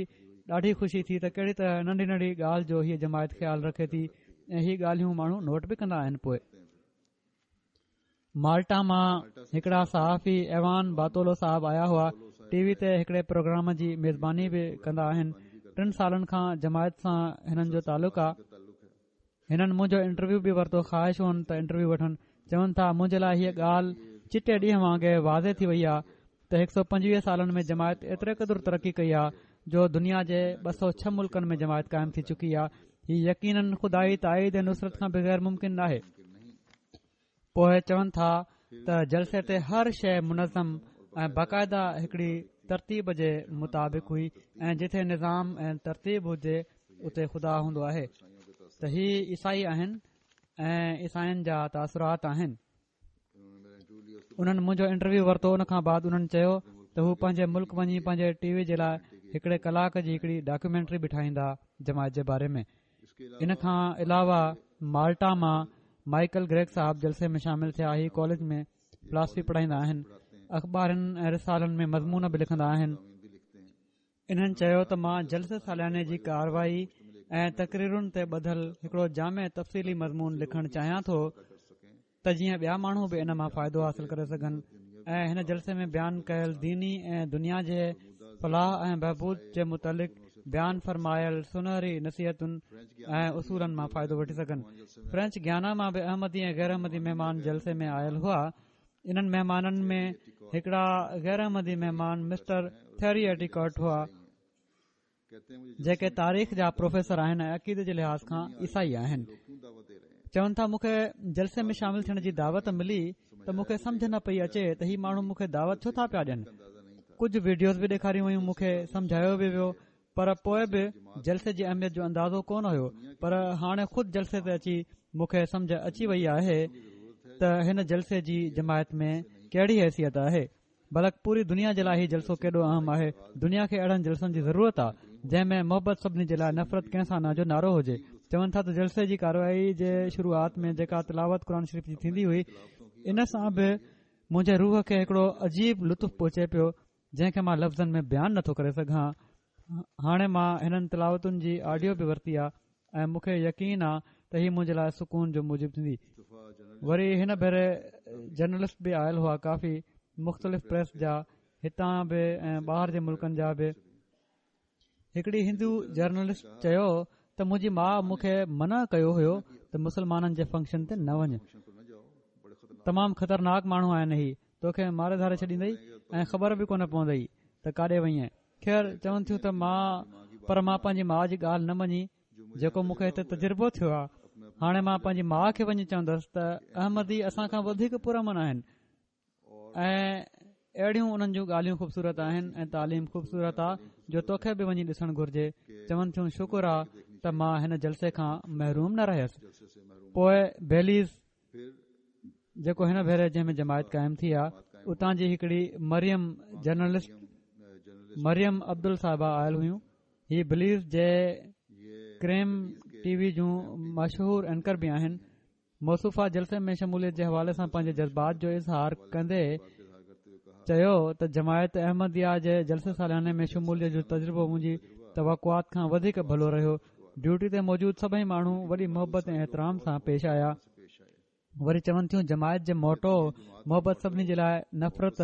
ڏاڍي خوشي ٿي ته ڪهڙي ته ننڍي ننڍي ڳالهه جو هيءَ جماعت خيال رکي ٿي ۽ هي ڳالهيون ماڻهو نوٽ به ڪندا آهن. پوءِ مالٽا مان هڪڙا صحافي ايوان باتولو صاحب آيا هئا، ٽي وي تي هڪڙي پروگرام جي ميزباني به ڪندا آهن. ٽن سالن کان جماعت سان هنن جو تعلق آهي. هنن منهنجو انٽرويو به ورتو، خواهش هئن ته انٽرويو وٺن. چون ٿا منهنجي لاءِ هيءَ ڳالهه چٽي ڏينهن وانگي واضح ٿي وئي آهي ته هڪ سؤ پنجويهه سالن ۾ جماعت ايتري قدر ترقي ڪئي آهي جو دنيا جي ٻه سؤ ڇهه ملڪن ۾ جماعت قائم ٿي چڪي آهي. هي يقينن خدائي تائيد ۽ نصرت کان بغير ممڪن ناهي. پوءِ چون ٿا ته جلسي تي هر شيءِ منظم ۽ باقاعده هڪڙي ترتيب جي مطابق هئي ۽ جتي نظام ۽ ترتيب هجي اتي خدا هوندو آهي. ته هي عيسائي آهن ۽ عيسائين جا تاثرات آهن. انهن منهنجو انٽرويو ورتو. ان کان بعد انهن چيو ته هو پنهنجي ملڪ وڃي پنهنجي ٽي وي جي لاءِ هڪڙي ڪلاڪ جي هڪڙي ڊاڪيومينٽري به ٺاهيندا جماعت جي باري ۾. ان کان علاوه مالٽا مان مائيڪل گريگ صاحب جلسي ۾ شامل ٿيا. هي ڪاليج ۾ فلاسفي پڙهائيندا آهن، اخبارن ۽ رسالن ۾ مضمون به لکندا آهن. انهن چيو ته مان جلسي سالياني جي ڪارروائي ۽ تقريرن تي ٻڌل هڪڙو جامع تفصيلي مضمون لکڻ چاهيان ٿو ته جيئن ٻيا ماڻهو به ان مان فائدو حاصل ڪري سگهن ۽ هن جلسي ۾ بيان ڪيل ديني ۽ دنيا جي فلاح ۽ بهبود جي متعلق بيان فرمايل سنهري نصيحتن ۽ اصولن مان فائدو وٺي سگهن. فرينچ گيانا مان به احمدي ۽ غير احمدي مهمان جلسي ۾ آيل هئا. انهن مهمانن ۾ هڪڙا غير احمدي مهمان مسٽر ٿيري ايٽيڪاٽ هئا، جيڪي تاريخ جا پروفيسر آهن ۽ عقيدي جي لحاظ کان عيسائي آهن. چون ٿا مون کي جلسي ۾ شامل ٿيڻ جي دعوت ملي ته مون کي سمجهه نه پئي اچي ته هي ماڻهو مون کي دعوت ڇو ٿا پيا ڏين. ڪجهه وڊيوز به ڏيکاريون ويون، مون کي سمجهايو به ويو، پر پوءِ به جلسي جي اهميت جو اندازو ڪونه هيو. پر هاڻي خود جلسي تي اچي مون کي سمجهه اچي وئي آهي ته هن جلسي جي جماعت ۾ ڪهڙي حيثيت آهي، بلڪ پوري دنيا جي لاءِ هي جلسو ڪيڏو اهم آهي. دنيا کي اهڙن جلسن جي ضرورت آهي جنهن ۾ محبت سڀني جي لاءِ، نفرت ڪنهن سان نه جو نعرو هجي. چون ٿا ته جلسي جي ڪارروائي جي شروعات ۾ جيڪا تلاوت قرآن شريف جي ٿيندي هئي، ان سان به منهنجي روح کي هڪڙو عجيب لطف پهچي پيو، جنهن کي مان لفظن ۾ بيان نٿو ڪري سگهان. هاڻي مان هنن تلاوتن جي آڊيو به ورتي آهي ۽ مون کي يقين آهي ته هي منهنجي لاءِ سڪون جو موجب ٿيندي. وري هن ڀيري جرنلسٽ به آيل هئا، ڪافي مختلف پريس جا، هتان به ۽ ٻاهر جي ملڪن جا به. هڪڙي هندو جرنلسٽ چيو ته منهنجي ماءُ مون کي منع ڪيو هيو ته مسلمانن جي فنڪشن تي نه وڃ، تمام خطرناڪ ماڻهو آهن، هي توکي ماري ڌاري ڇڏيندئي ۽ خبر به ڪونه پوندئي ته ڪاڏي وئين. خير چون ٿيون ته مان پر مان پنهنجي ماءُ جي ڳالهه نه مڃي، جيڪو مون کي هتي تجربو ٿيو آهي. هاڻي مان پنهنجي ماءُ کي وڃي چوندس ته احمدي اسان کان وڌيڪ پرامن آهن ۽ اهڙيون انهن جون ڳالهيون خوبصورت آهن ۽ تعليم خوبصورت آهي جو توکي به وڃي ڏسڻ گهرجي. چون ٿيون شڪر آهي ته مان هن جلسي کان محروم نه رهيس. پوءِ بيليز جيڪو هن ڀيري جنهن ۾ جماعت قائم ٿي آهي، اتان جي هڪڙي مريم جرنلسٽ مريم عبدل صاحبه آيل هيون. هي بليز جي ڪريم ٽي وي جون مشهور اينڪر به آهن. موصوفه جلسي ۾ شموليت جي حوالي سان پنهنجي جذبات جو اظهار ڪندي چيو ته جماعت احمديه جي جلسي سالياني ۾ شموليت جو تجربو منهنجي توقعات کان وڌيڪ ڀلو رهيو. ڊيوٽي تي موجود سڀئي ماڻهو وڏي محبت ۽ احترام سان پيش آيا. وري چون ٿيون جماعت جي موٽو محبت سڀني جي لاءِ، نفرت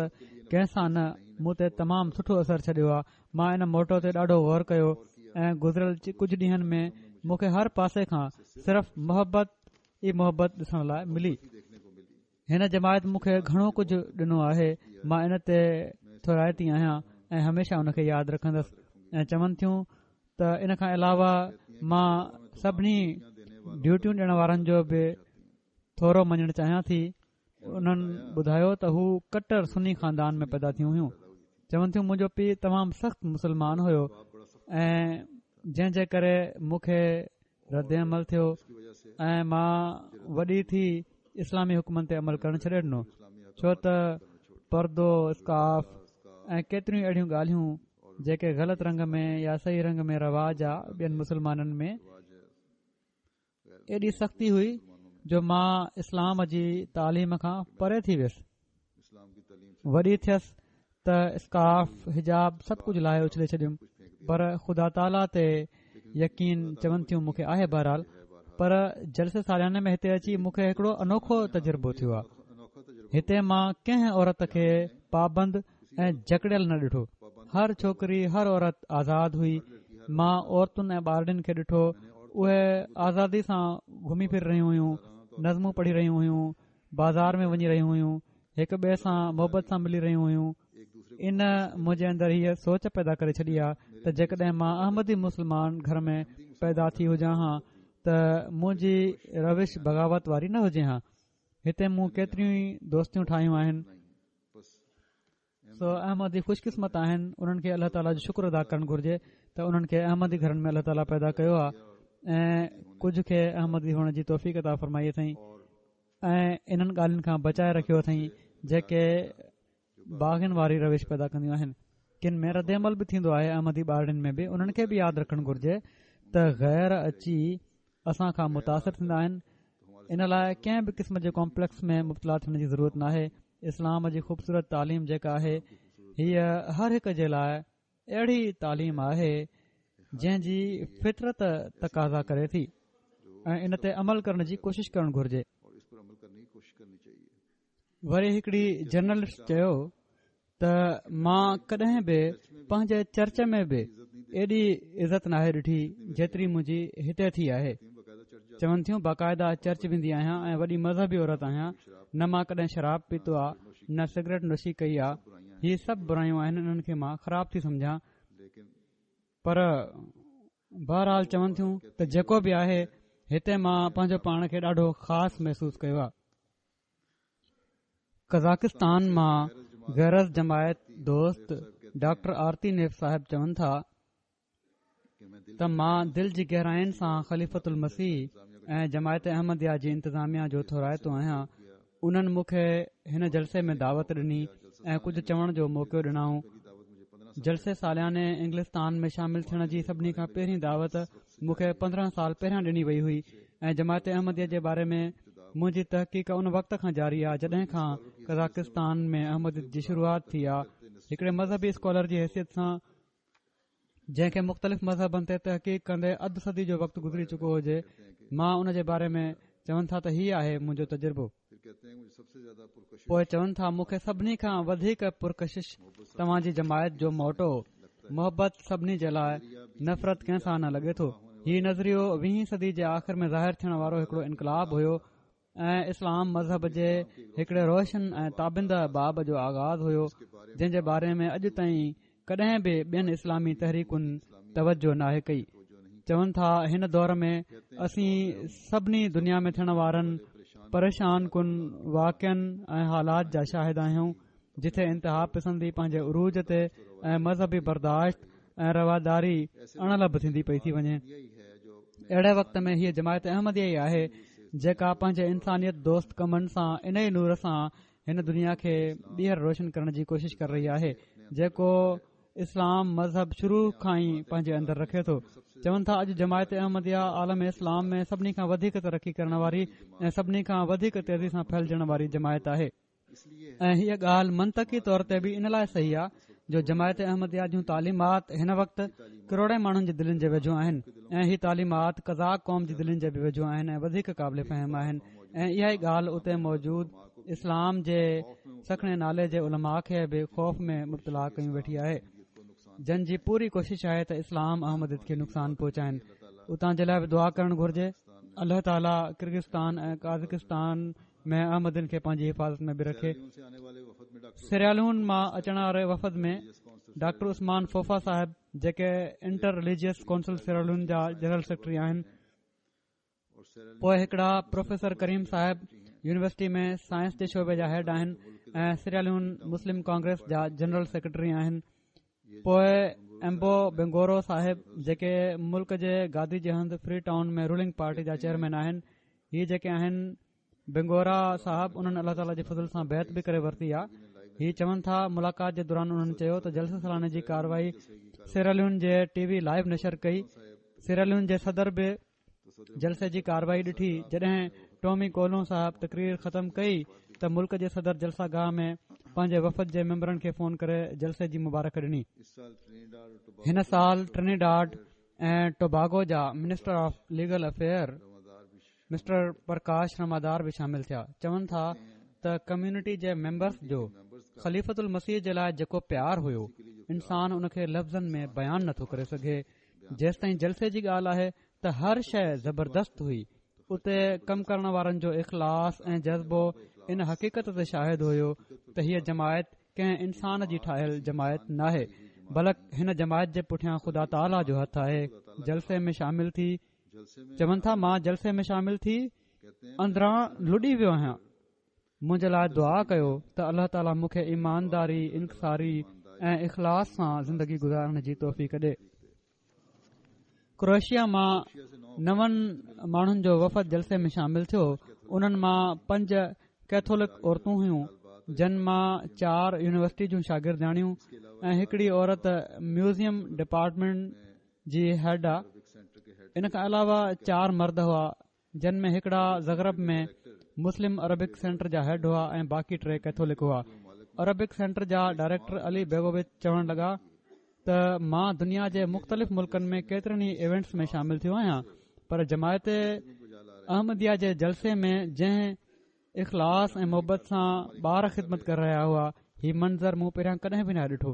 ڪنهن سان نه، مون تي تمام سٺو اثر ڇڏيو آهي. مان ان موٽو تي ڏاڍو غور ڪيو ۽ گذريل ڪجهه ڏينهن ۾ مون کي هر پاسي کان صرف محبت ئي محبت ڏسڻ لاءِ ملي. هن جماعت مون کي گهڻو ڪجهه ڏنو آهي، مان ان تي ٿورائتي آهيان ۽ هميشه ان کي ياد رکندس. ۽ چون ٿيون ته ان کان علاوه مان سڀني ڊيوٽيون ڏيڻ وارن جو به ٿورو مڃڻ چاهيان ٿي. انهن ٻڌايو ته هو ڪٽر سني خاندان ۾ پيدا ٿيون هيون. چون ٿيون منهنجو پيءُ تمام سخت مسلمان هيو ۽ جنهن جي ڪري مون کي رد عمل ٿيو ۽ مان وڏي ٿي اسلامي حڪمن تي عمل ڪرڻ ڇڏي ڏنو، ڇو ته پردو، اسڪارف ۽ ڪيتريون اهڙيون ڳالهيون جيڪي غلط رنگ ۾ يا صحيح رنگ ۾ رواج آ ٻين مسلمانن ۾ ايڏي سختي هئي جو مان اسلام جي تعليم کان پري ٿي ويس. وڏي ٿيس ته اسڪارف، حجاب سڀ ڪجهه لاهي اڇلي ڇڏيم، پر خدا تعاليٰ تي يقين چون ٿيون مون کي آهي. بهرحال پر جلسي سالياني ۾ هتي اچي مون کي هڪڙو انوکو تجربو ٿيو آهي. هتي مان ڪنهن عورت کي پابند ۽ جڪڙيل نه ڏٺو. هر ڇوڪري، هر عورت آزاد هئي. مان عورتن ۽ ٻارڙين کي ڏٺو، اهي آزادي سان گهمي ڦري رهيون هيون، نظمون پڙهي رهيون هيون، بازار ۾ وڃي رهيون هيون، هڪ ٻئي سان محبت سان ملي رهيون هيون. ان منهنجي اندر هيءَ سوچ پيدا ڪري ڇڏي آهي ته جيڪڏهن مان احمدي مسلمان گهر ۾ پيدا ٿي هجان ها ته منهنجي روش بغاوت واري نه هجي ها. هتي مون ڪيتريون ئي دوستيون ٺاهيون آهن. سو احمدي خوش قسمت آهن، انهن کي الله تعاليٰ جو شڪر ادا ڪرڻ گهرجي ته انهن کي احمدي گهرن ۾ الله تعاليٰ پيدا ڪيو آهي ۽ ڪجهه کي احمدي هئڻ جي توفيق عطا فرمائي اٿئين ۽ انهن ڳالهين کان بچائي رکيو اٿئين جيڪي باغين واري روش پيدا ڪنديون آهن. ڪن ۾ رد عمل به ٿيندو آهي احمدي ٻارڙين ۾ به. انهن کي به ياد رکڻ گهرجي ته غير اچي اسان کان متاثر ٿيندا آهن. ان لاءِ ڪنهن به قسم جي ڪامپليڪس ۾ مبتلا ٿيڻ جي ضرورت ناهي. اسلام جي خوبصورت تعليم جيڪا آهي هيءَ هر هڪ جي لاءِ اهڙي تعليم آهي جنهن جي فطرت تقاضا ڪري ٿي ۽ ان تي عمل ڪرڻ جي ڪوشش ڪرڻ گهرجي. وري هڪڙي جرنلسٽ چيو ته مان ڪڏهن به پنهنجي چرچ ۾ به ايڏي عزت ناهي ڏٺي جيتري منهنجي هتي ٿي آهي. چون ٿيون باقاعده چرچ ويندي آهيان ۽ وڏي مذهبي عورت آهيان، نه مان ڪڏهن شراب پيتو آهي نه سگريٽ نوشي ڪئي آهي. هي سڀ برايون آهن، انهن کي مان خراب ٿي سمجهان. پر بهرحال چون ٿيون ته جيڪو به آهي هتي مان پنهنجو پاڻ کي ڏاڍو خاص محسوس ڪيو آهي. قزاقستان مان غير از جماعت دوست ڊاڪٽر آرتي نيف صاحب چون ٿا ته مان دل جي گهراين سان خليفة المسيح ۽ جماعت احمديه جي انتظاميه جو ٿورائتو آهيان. انهن مون کي هن جلسي ۾ دعوت ڏني ۽ ڪجهه چوڻ جو موقعو ڏنائون. جلسي سالياني انگلستان ۾ شامل ٿيڻ جي سڀني کان پهرين دعوت مون کي پندرهن سال پهريان ڏني وئي هئي ۽ جماعت احمديه جي باري ۾ منهنجي تحقيق ان وقت کان جاري آهي جڏهن کان قزاقستان ۾ احمديت جي شروعات ٿي آهي. هڪڙي مذهبي اسڪالر جي حيثيت سان جنهن کي مختلف مذهبن تي تحقيق ڪندي اڌ صدي جو وقت گذري چڪو هجي، مان ان جي باري ۾ چون ٿا ته هي آهي منهنجو تجربو. پوءِ چون ٿا مون کي سڀني کان وڌيڪ پرڪشش توهان جي جماعت جو موٽو، محبت سڀني جي لاءِ، نفرت ڪنهن سان نه لڳي ٿو. هي نظريو ويهين صدي جي آخر ۾ ظاهر ٿيڻ وارو هڪڙو انقلاب هيو ۽ اسلام مذهب جي هڪڙي روشن ۽ تابنده باب جو آغاز هيو، جنهن جي باري ۾ اڄ تائين ڪڏهن به ٻين اسلامي تحريڪن توجه ناهي ڪئي. چون ٿا هن دور ۾ اسين سڀني دنيا ۾ ٿيڻ وارن پريشان ڪن واقعن ۽ حالات جا شاهد آهيون، جتي انتها پسندي پنهنجي عروج تي ۽ مذهبي برداشت ۽ رواداري اڻلڀ ٿيندي پئي ٿي وڃي. اهڙي وقت ۾ هيءَ جماعت احمديه ئي آهي جيڪا پنهنجي انسانيت دوست ڪمن سان ان ئي نور سان هن دنيا کي ٻيهر روشن ڪرڻ جي ڪوشش ڪري رهي آهي، جيڪو اسلام مذهب شروع کان ئي پنهنجي اندر رکي ٿو. چون ٿا اڄ جماعت احمديه عالم اسلام ۾ سڀني کان وڌيڪ ترقي ڪرڻ واري ۽ سڀني کان وڌيڪ تيزي سان ڦهلجڻ واري جماعت آهي. ۽ هيءَ ڳالهه منطقي طور تي به ان لاءِ صحيح آهي جو جماعت احمديه جون تعليمات هن وقت ڪروڙين ماڻهن جي دلين جي ويجهو آهن ۽ هي تعليمات قزاق قوم جي دلين جي به ويجهو آهن ۽ وڌيڪ قابل فهم آهن. ۽ اها ئي ڳالهه اتي موجود اسلام جي سکڻي نالي جي علماء کي به خوف ۾ مبتلا ڪيون ويٺي آهي، جن جي پوري ڪوشش آهي ته اسلام احمديت کي نقصان پهچائن. اتان جي لاءِ به دعا ڪرڻ گهرجي. الله تعاليٰ ڪرغستان ۽ قازقستان ۾ احمدين کي پنهنجي حفاظت ۾ به رکي. سيراليون مان اچڻ واري وفد ۾ ڊاڪٽر عثمان فوفا صاحب جيڪي انٽر رليجيس ڪائونسل سيراليون جا جنرل سيڪريٽري آهن. پوءِ هڪڙا پروفيسر ڪريم صاحب يونيورسٽي ۾ سائنس جي شعبي جا هيڊ آهن ۽ سيراليون مسلم ڪانگريس جا جنرل سيڪريٽري آهن. پوءِ ايمبو بنگورو صاحب جيڪي ملڪ جي گادي جي هنڌ فري ٽائون ۾ رولنگ پارٽي جا چيئرمين آهن. هي جيڪي آهن بنگورا صاحب انهن الله تعاليٰ جي فضل سان بيعت به ڪري ورتي آهي. هي چون ٿا ملاقات جي دوران انهن چيو ته جلسي سالاني جي ڪارروائي سيراليون جي ٽي وي لائيو نشر ڪئي. سيراليون جي صدر به جلسي جي ڪارروائي ڏٺي. جڏهن ٽومي ڪولو صاحب تقرير ختم ڪئي ته ملڪ جي صدر جلسه گاهه ۾ پنهنجي وفد جي ميمبرن کي فون ڪري جلسي جي مبارڪ ڏني. هن سال ٽرنيڊاڊ ۽ ٽوباگو جا minister of legal affair mister Prakash Ramadhar به شامل ٿيا. چون ٿا ته ڪميونٽي جي ميمبرس جو خليفة المسيح جي لاءِ جيڪو پيار هيو انسان ان کي لفظن ۾ بيان نٿو ڪري سگهي. جيستائين جلسي جي ڳالهه آهي ته هر شيءِ زبردست هئي. اتي ڪم ڪرڻ وارن جو اخلاص ۽ جذبو ان حقيقت تي شاهد هيو ته هيءَ جماعت ڪنهن انسان جي ٺاهيل جماعت ناهي، بلڪ هن جماعت جي پٺيان خدا تعاليٰ جو هٿ آهي. جلسي ۾ شامل ٿي چون ٿا مان جلسي ۾ شامل ٿي اندران لڏي ويو آهيان. منهنجي لاءِ دعا ڪيو ته الله تعاليٰ مون کي ايمانداري، انڪساري ۽ اخلاص سان زندگي گذارڻ جي توفيق ڏي. ڪروئيشيا مان نون ماڻهن جو وفد جلسي ۾ شامل ٿيو. انهن مان پنج ڪيٿولڪ عورتون هيون، جن مان چار يونيورسٽي جون شاگردياڻيون ۽ هڪڙي عورت ميوزيم ڊپارٽمينٽ جي هيڊ آ. ان کان علاوه چار مرد هئا، جن ۾ هڪڙا زغرب ۾ مسلم عربڪ سينٽر جا هيڊ هئا ۽ باقي ٽي ڪيٿولڪ هئا. عربڪ سينٽر جا ڊائريڪٽر علي بيگووچ چوڻ لڳا ته مان دنيا جي مختلف ملڪن ۾ ڪيترن ئي ايونٽس ۾ شامل ٿيو آهيان، پر جماعت احمديه جي جلسي ۾ جنهن اخلاص ۽ محبت سان ٻار خدمت ڪري رهيا هئا، هي منظر مون پهريان ڪڏهن به نه ڏٺو.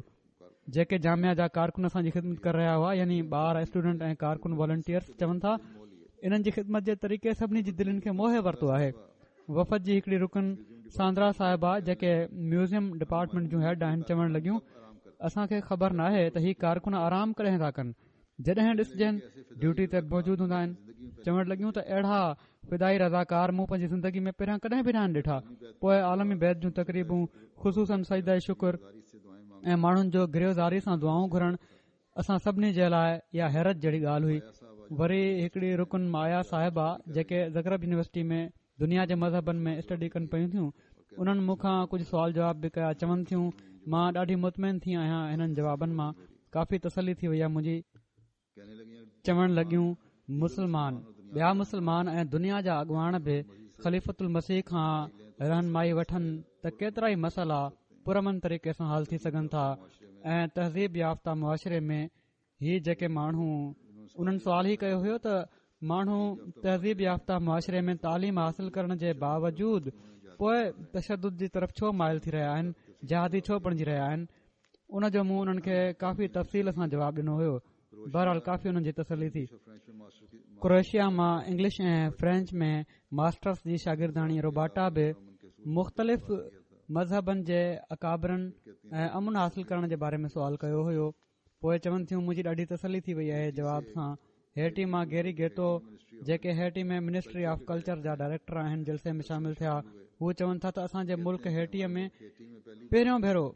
جيڪي جامعه جا ڪارڪن اسان جي خدمت ڪري رهيا هئا، يعني ٻار، اسٽوڊنٽ ۽ ڪارڪن والنٽيئرس، چون ٿا انهن جي خدمت جي طريقي سڀني جي دلين کي موهي ورتو آهي. وفد جي هڪڙي رڪن ساندرا صاحبه جيڪي ميوزيم ڊپارٽمينٽ جون هيڊ آهن، چوڻ لڳيون اسان کي خبر ناهي ته هي ڪارڪن آرام ڪڏهن ٿا ڪن، جڏهن ڏسجن ڊيوٽي تي موجود هوندا آهن. چوڻ لڳيون ته اهڙا فدائي رضاڪار مون پنهنجي زندگي ۾ پهريان ڪڏهن به ناهن ڏٺا. پوءِ عالمي بيعت جون تقريبون، خصوصن سجده شڪر ۽ ماڻهن جو گريوزاري سان دعائون گهرڻ اسان سڀني جي لاءِ اها حيرت جهڙي ڳالهه هئي. وري هڪڙي رڪن مايا صاحبه جيڪي زغرب يونيورسٽي ۾ دنيا جي مذهبن ۾ اسٽڊي ڪن پيون ٿيون، انهن مون کان ڪجهه سوال جواب به ڪيا. چون ٿيون مان ڏاڍي مطمئن ٿي آهيان هنن جوابن مان، ڪافي تسلي ٿي وئي آهي منهنجي. چوڻ لڳيون مسلمان، ٻيا مسلمان ۽ دنيا جا اڳواڻ به خليفة المسيح کان رهنمائي وٺن ته ڪيترا ئي مسئلا پرامن طريقي سان حل ٿي سگهن ٿا ۽ تهذيب يافته معاشري ۾ هي جيڪي ماڻهو، انهن سوال ئي ڪيو هيو ته ماڻهو تهذيب يافته معاشري ۾ تعليم حاصل ڪرڻ جي باوجود پوءِ تشدد جي طرف ڇو مائل ٿي رهيا آهن، جهادي ڇو بڻجي رهيا آهن. ان جو مون انهن کي ڪافي تفصيل سان جواب ڏنو هيو. بهرحال ڪافي انهن جي تسلي ٿي. ڪروئيشيا مان انگلش ۽ فرينچ ۾ ماسٽرس جي شاگرداڻي روباٽا به مختلف مذهبن جي اڪابرن ۽ امن حاصل ڪرڻ جي باري ۾ سوال ڪيو هيو. پوءِ چون ٿيون منهنجي ڏاڍي تسلي ٿي وئي آهي جواب سان. هيٽي مان گيري گيتو جيڪي هيٽي ۾ منسٽري آف ڪلچر جا ڊائريڪٽر آهن، جلسي ۾ شامل ٿيا. هو چون ٿا ته اسان جي ملڪ هيٽيءَ ۾ پهريون ڀيرو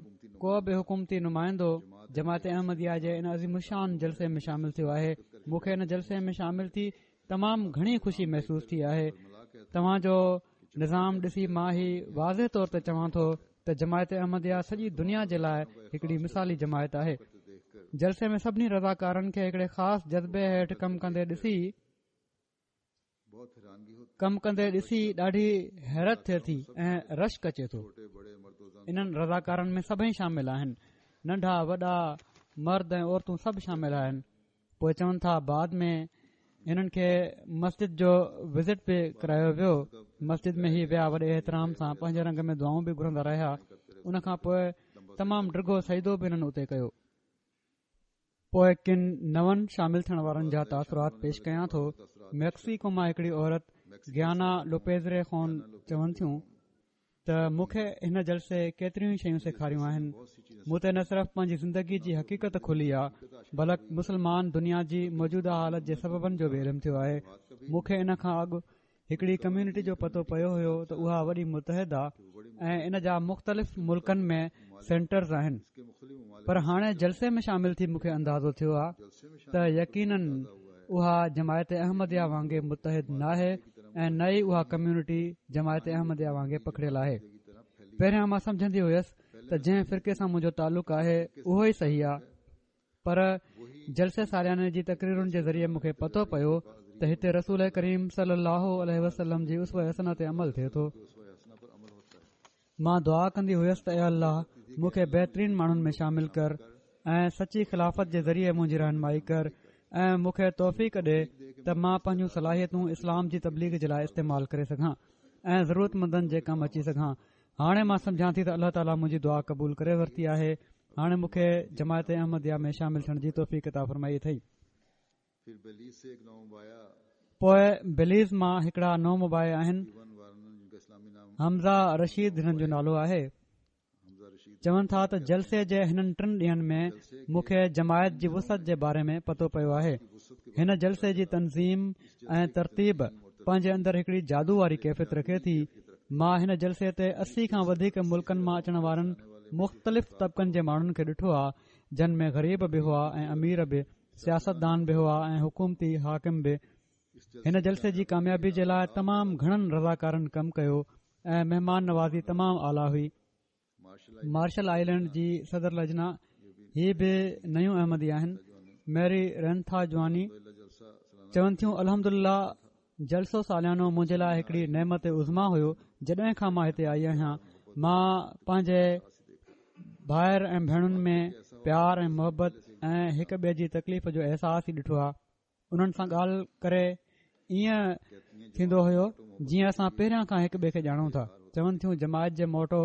ڪو به حڪومتي نمائندو جماعت احمديه جي ان عظيم الشان جلسي ۾ شامل ٿيو آهي. مون کي ان جلسي ۾ شامل ٿي تمام گهڻي خوشي محسوس ٿي آهي. توهان جو نظام ڏسي مان هي واضح طور تي چوان ٿو ته جماعت احمديه سڄي دنيا جي لاءِ هڪڙي مثالي جماعت آهي. جلسي ۾ سڀني رضاڪارن کي هڪڙي خاص جذبي هيٺ ڪم ڪندي ڏسي ڪم ڪندي ڏسي ڏاڍي حيرت ٿئي ٿي ۽ رشڪ اچي ٿو. انهن رضاڪارن ۾ سڀئي شامل آهن، ننڍا وڏا، مرد ۽ عورتون سڀ شامل آهن. پوءِ چون ٿا بعد ۾ هنن کي مسجد جو وزٽ به ڪرايو ويو. مسجد ۾ هي ويا، وڏي احترام سان پنهنجي رنگ ۾ دعائون به گهرندا رهيا. ان کان پوءِ تمام ڊگهو سجدو به هنن اتي ڪيو. پوءِ ڪن نون شامل ٿيڻ وارن جا تاثرات پيش ڪيان ٿو. ميڪسيڪو مان هڪڙي عورت گيانا لوپيزري خون چون ٿيون ته مون کي هن جلسي ڪيتريون ئي شيون سيکاريون آهن. مون تي نه صرف پنهنجي زندگي جي حقيقت کلي آ بلڪ مسلمان دنيا جي موجوده حالت جي سببن جو به علم ٿيو آهي. مون کي ان کان اڳ هڪڙي ڪميونٽي جو پتو پيو هيو ته اها وڏي متحد آ ۽ ان جا مختلف ملڪن ۾ سينٽرز آهن، پر هاڻي جلسي ۾ شامل ٿي مون کي اندازو ٿيو آ ته يقينن اها جماعت احمديه وانگي متحد ناهي ۽ نه ئي اها ڪميونٽي جماعت احمديه وانگي پکڙيل آهي. پهريان مان سمجهندي هيس ته جنهن فرقي سان منهنجو تعلق آهي اهو ئي صحيح آ، پر جلسي سالياني جي تقريرن جي ذريعي مون کي پتو پيو ته هتي رسول ڪريم صلي الله عليه وسلم جي اسوه حسنه تي عمل ٿئي ٿو. مان دعا ڪندي هيس ته اي الله مون کي بهترين ماڻهن ۾ شامل ڪر ۽ سچي خلافت جي ذريعي منهنجي رهنمائي ڪر ۽ مون کي توفيق ڏي ته مان پنهنجون صلاحيتون اسلام جي تبليغ جي لاءِ استعمال ڪري سگهان ۽ ضرورتمندن جي ڪم اچي سگهان. هاڻي مان سمجهان ٿي ته الله تعاليٰ منهنجي دعا قبول ڪري ورتي آهي. هاڻي مون کي جماعت احمديه ۾ شامل ٿيڻ جي توفيق عطا فرمائي اٿئي. پوءِ بليز مان هڪڙا نومبائع آهن، حمزه رشيد هنن جو نالو آهي. چون ٿا ته جلسي جي هنن ٽن ڏينهن ۾ مون کي جماعت جي وسعت جي باري ۾ پتو پيو آهي. هن جلسي جي تنظيم ۽ ترتيب پنهنجي اندر هڪڙي جادو واري ڪيفيت رکي ٿي. مان هن جلسي تي اسي کان وڌيڪ ملڪن مان اچڻ وارن مختلف طبقن جي ماڻهن کي ڏٺو آهي، جن ۾ غريب به هئا ۽ امير به، سياستدان به هئا ۽ حڪومتي حاڪم به. هن جلسي جي ڪاميابي جي لاءِ تمام گهڻن رضاڪارن ڪم ڪيو ۽ مهمان نوازي تمام اعليٰ هئي. مارشل آئلينڊ جي صدر لجنا، هي به نيون احمدي آهن، ميري رينٿا جواني چون ٿيون الحمدلله جلسو ساليانو منهنجي لاءِ هڪڙي نعمت عظميٰ هيو. جڏهن کان مان هتي آئي آهيان مان پنهنجي ڀائر ۽ ڀيڻن ۾ پيار ۽ محبت ۽ هڪ ٻئي جي تڪليف جو احساس ئي ڏٺو آهي. انهن سان ڳالهه ڪري ائين ٿيندو هيو جيئن اسان پهريان کان هڪ ٻئي کي ڄاڻون ٿا. چون ٿيون جماعت جي موٽو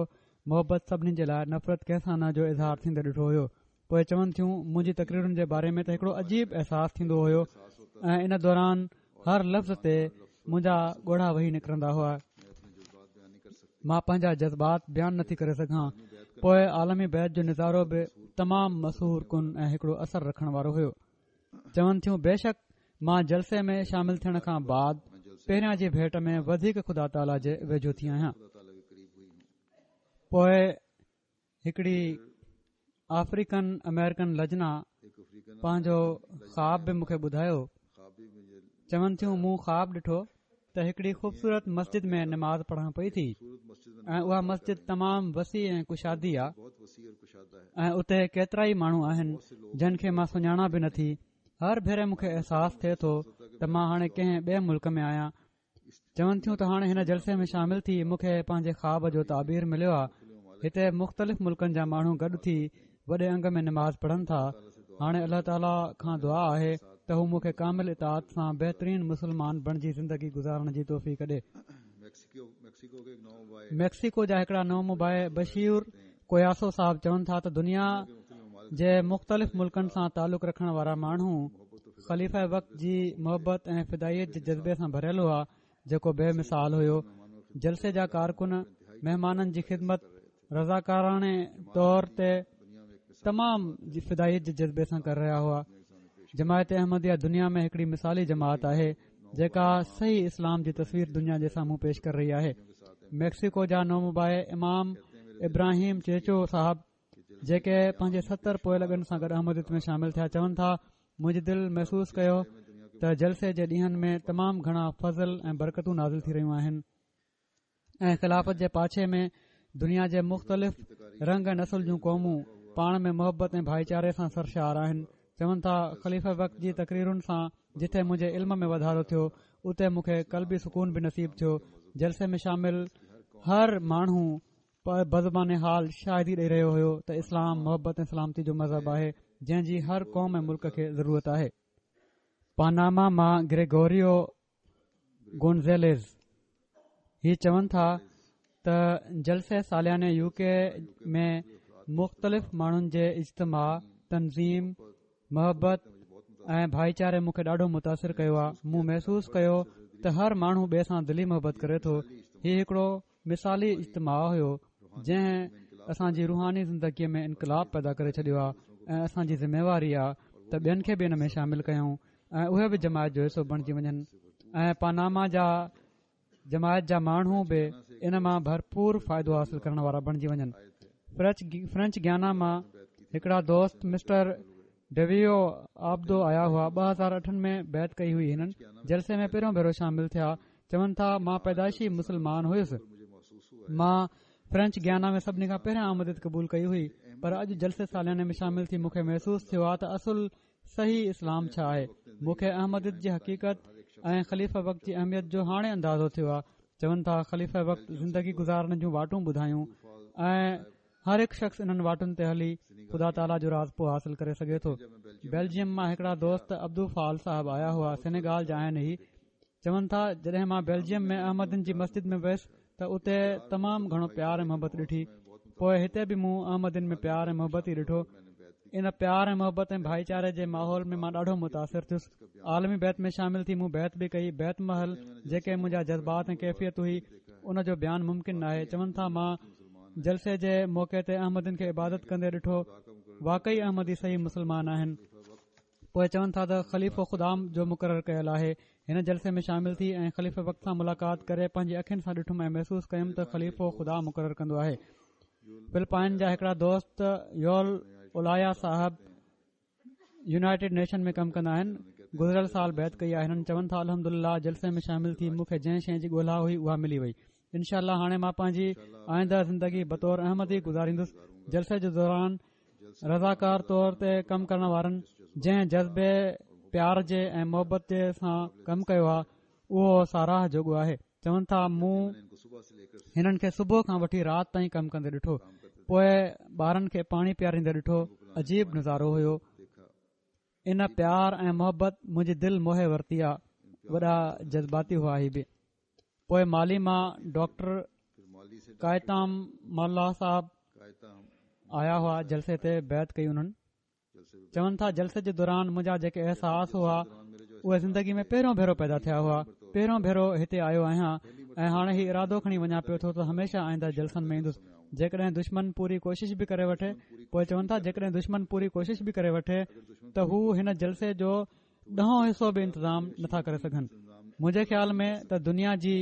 محبت سڀني جي لاءِ نفرت ڪنهن سان نه جو اظهار ٿيندي ڏٺو هيو. پوءِ چون ٿيون منهنجي تقريرن جي باري ۾ ته هڪڙو عجيب احساس ٿيندو هيو ۽ ان دوران هر لفظ تي منهنجا ڳوڙها وهي نڪرندا هئا. مان پنهنجا جذبات بيان نٿي ڪري سگهان. پوءِ عالمي بيعت جو نظارو به تمام مسحور ڪن ۽ هڪڙو اثر رکڻ وارو هيو. چون ٿيون بيشڪ مان جلسي ۾ شامل ٿيڻ کان بعد پهريان جي ڀيٽ ۾ وڌيڪ خدا تعاليٰ جي ويجهو ٿي آهيان. پوءِ هڪڙي آفريڪن آمريڪن لجنا پنهنجو خواب به مون کي ٻڌايو. چون ٿيون مون خواب ڏٺو ته هڪڙي خوبصورت مسجد ۾ نماز پڙهان پئي ٿي ۽ اها مسجد تمام وسيع ۽ ڪشادي آهي ۽ اتي ڪيترا ئي ماڻهو آهن جن کي مان سڃاڻان به نٿي. هر ڀيري مون کي احساس ٿئي ٿو ته مان هاڻي ڪنهن ٻئي ملڪ ۾ آهيان. چون ٿيون ته هاڻي هن جلسي ۾ شامل ٿي مون کي پنهنجي خواب جو تعبير مليو آهي. هتي مختلف ملڪن جا ماڻهو گڏ ٿي وڏي انگ ۾ نماز پڙهن ٿا. هاڻي الله تعاليٰ کان دعا آهي ته هو مون کي ڪامل اطاعت سان بهترين مسلمان بڻجي زندگي گذارڻ جي توفيق ڏي. ميڪسيڪو جا هڪڙا نومبائع بشير ڪوياسو صاحب چون ٿا ته دنيا جي مختلف ملڪن سان تعلق رکڻ وارا ماڻهو خليفه وقت جي محبت ۽ فدائيت جي جذبي سان ڀريل هئا، جيڪو بي مثال هيو. جلسي جا ڪارڪن مهمانن جي خدمت رضاڪاراڻي طور تي تمام فدائيت جي جذبي سان ڪري رهيا هئا. جماعت احمديه دنيا ۾ هڪڙي مثالي جماعت آهي جيڪا صحيح اسلام جي تصوير دنيا جي سامهون پيش ڪري رهي آهي. ميڪسيڪو جا نومبائع امام ابراهيم چيچو صاحب جيڪي پنهنجي ستر پوئلڳن سان گڏ احمديت ۾ شامل ٿيا چون ٿا منهنجي دل محسوس ڪيو ته جلسي جي ڏينهن ۾ تمام گهڻا فضل ۽ برڪتون نازل ٿي رهيون آهن ۽ خلافت جي پاڇي ۾ دنيا جي مختلف رنگ ۽ نسل جون قومون پاڻ ۾ محبت ۽ ڀائيچاري سان سرشار آهن. چون ٿا خليفه وقت جي تقريرن سان جتي منهنجي علم ۾ واڌارو ٿيو اتي مون کي قلبي سڪون به نصيب ٿيو. جلسي ۾ شامل هر ماڻهو بزبان حال شاهدي ڏئي رهيو هيو ته اسلام محبت ۽ سلامتي جو مذهب آهي جنهن جي هر قوم ۽ ملڪ کي ضرورت آهي. پاناما مان گريگوريو گونزيليز هي چون ٿا ته جلسي سالياني يو ڪي ۾ مختلف ماڻهن جي اجتماع، تنظيم محبت ۽ ڀائيچاري مون کي ڏاڍو متاثر ڪيو آهي. مون محسوس ڪيو ته هر ماڻهو ٻئي سان دلي محبت ڪري ٿو. هي هڪڙو مثالي اجتماع هيو جنهن اسان جي روحاني زندگيء ۾ انقلاب پيدا ڪري ڇڏيو آهي ۽ اسان جي ذميواري آهي ته ٻين کي به ان ۾ شامل ڪيون ۽ اهي به جماعت جو حصو بڻجي وڃن ۽ پاناما جا جماعت جا ماڻهو به ان مان ڀرپور فائدو حاصل ڪرڻ وارا بڻجي وڃن. فرينچ گيانا مان هڪڙا دوست مسٽر ڊويو آبدو آيا هئا. ٻه هزار اٺن ۾ بيعت ڪئي هئي. هنن جلسي ۾ پهريون ڀيرو شامل ٿيا. چون ٿا مان پيدائشي مسلمان هيس. مان فرينچ گيانا ۾ سڀني کان پهريان احمديت قبول ڪئي هئي، پر اڄ جلسي سالياني ۾ شامل ٿي مون کي محسوس ٿيو آهي ته اصل صحيح اسلام ڇا آهي. مون کي احمديت جي حقيقت ۽ خليفه وقت جي اهميت جو هاڻي اندازو ٿيو آهي. چون ٿا خليفه وقت زندگي گذارڻ جون واٽون ٻڌايون ۽ هر هڪ شخص انهن واٽن تي هلي خدا تعاليٰ جو راضپو حاصل ڪري سگهي ٿو. بيلجيم مان هڪڙا دوست عبدو فال صاحب آيا هئا، سينيگال جا آهن. هي چون ٿا جڏهن مان بيلجيم ۾ احمدين جي مسجد ۾ ويس ته اتي تمام گهڻو پيار ۽ محبت ڏٺي. پوءِ هتي به مون احمدين ۾ پيار ۽ محبت ئي ڏٺو. ان پيار ۽ محبت ۽ ڀائيچاري جي ماحول ۾ مان ڏاڍو متاثر ٿيس. عالمي بيعت ۾ شامل ٿي مون بيعت به ڪئي. بيعت مهل جيڪي منهنجا جذبات ۽ ڪيفيت هئي ان جو بيان ممڪن ناهي. چون ٿا مان جلسي جي موقعي تي احمدين کي عبادت ڪندي ڏٺو. واقعي احمدي صحيح مسلمان آهن. پوءِ چون ٿا ته خليفو خدا جو مقرر ڪيل آهي. هن جلسي ۾ شامل ٿي ۽ خليفي وقت سان ملاقات ڪري پنهنجي اکين سان ڏٺم ۽ محسوس ڪيم ته خليفو خدا مقرر ڪندو آهي. فلپائن جا هڪڙا دوست يول اولايا صاحب يونائيٽيڊ نيشن ۾ ڪم ڪندا آهن. گذريل سال بيعت ڪئي آهي. هنن چون ٿا الحمدلله جلسي ۾ شامل ٿي مون کي جنهن شيءِ جي ڳولها هئي اها ملي وئي. انشاء الله هاڻي مان پنهنجي آئنده زندگي بطور احمدي گذاريندس. جلسي جي دوران رضاڪار طور تي ڪم ڪرڻ وارن جنهن جذبي پيار جي ۽ محبت جي سان ڪم ڪيو آهي اهو ساراهه جوڳو آهي. چون ٿا مون هنن کي صبح کان وٺي رات تائين ڪم ڪندي ڏٺو. پوءِ ٻارن کي پاڻي پياريندي ڏٺو. عجيب نظارو هيو. ان پيار ۽ محبت منهنجي دل موهي ورتي آهي. وڏا جذباتي هئا هي به. پوءِ مالي مان ڊاڪٽر ڪائتام مالا صاحب آيا هئا. جلسي تي بيعت ڪئي انهن. چون ٿا جلسي جي دوران منهنجا جيڪي احساس هئا اهي زندگي ۾ پهريون ڀيرو پيدا ٿيا هئا. پهريون ڀيرو هتي آيو آهيان ۽ هاڻي هي ارادو کڻي وڃان پيو ٿو ته هميشه آئنده جلسن ۾ ايندس. جيڪڏهن دشمن پوري ڪوشش به ڪري وٺي. پوءِ چون ٿا جيڪڏهن دشمن پوري ڪوشش به ڪري وٺي ته هو هن جلسي جو ڏهون حصو به انتظام نٿا ڪري سگهن. منهنجي خيال ۾ ته دنيا جي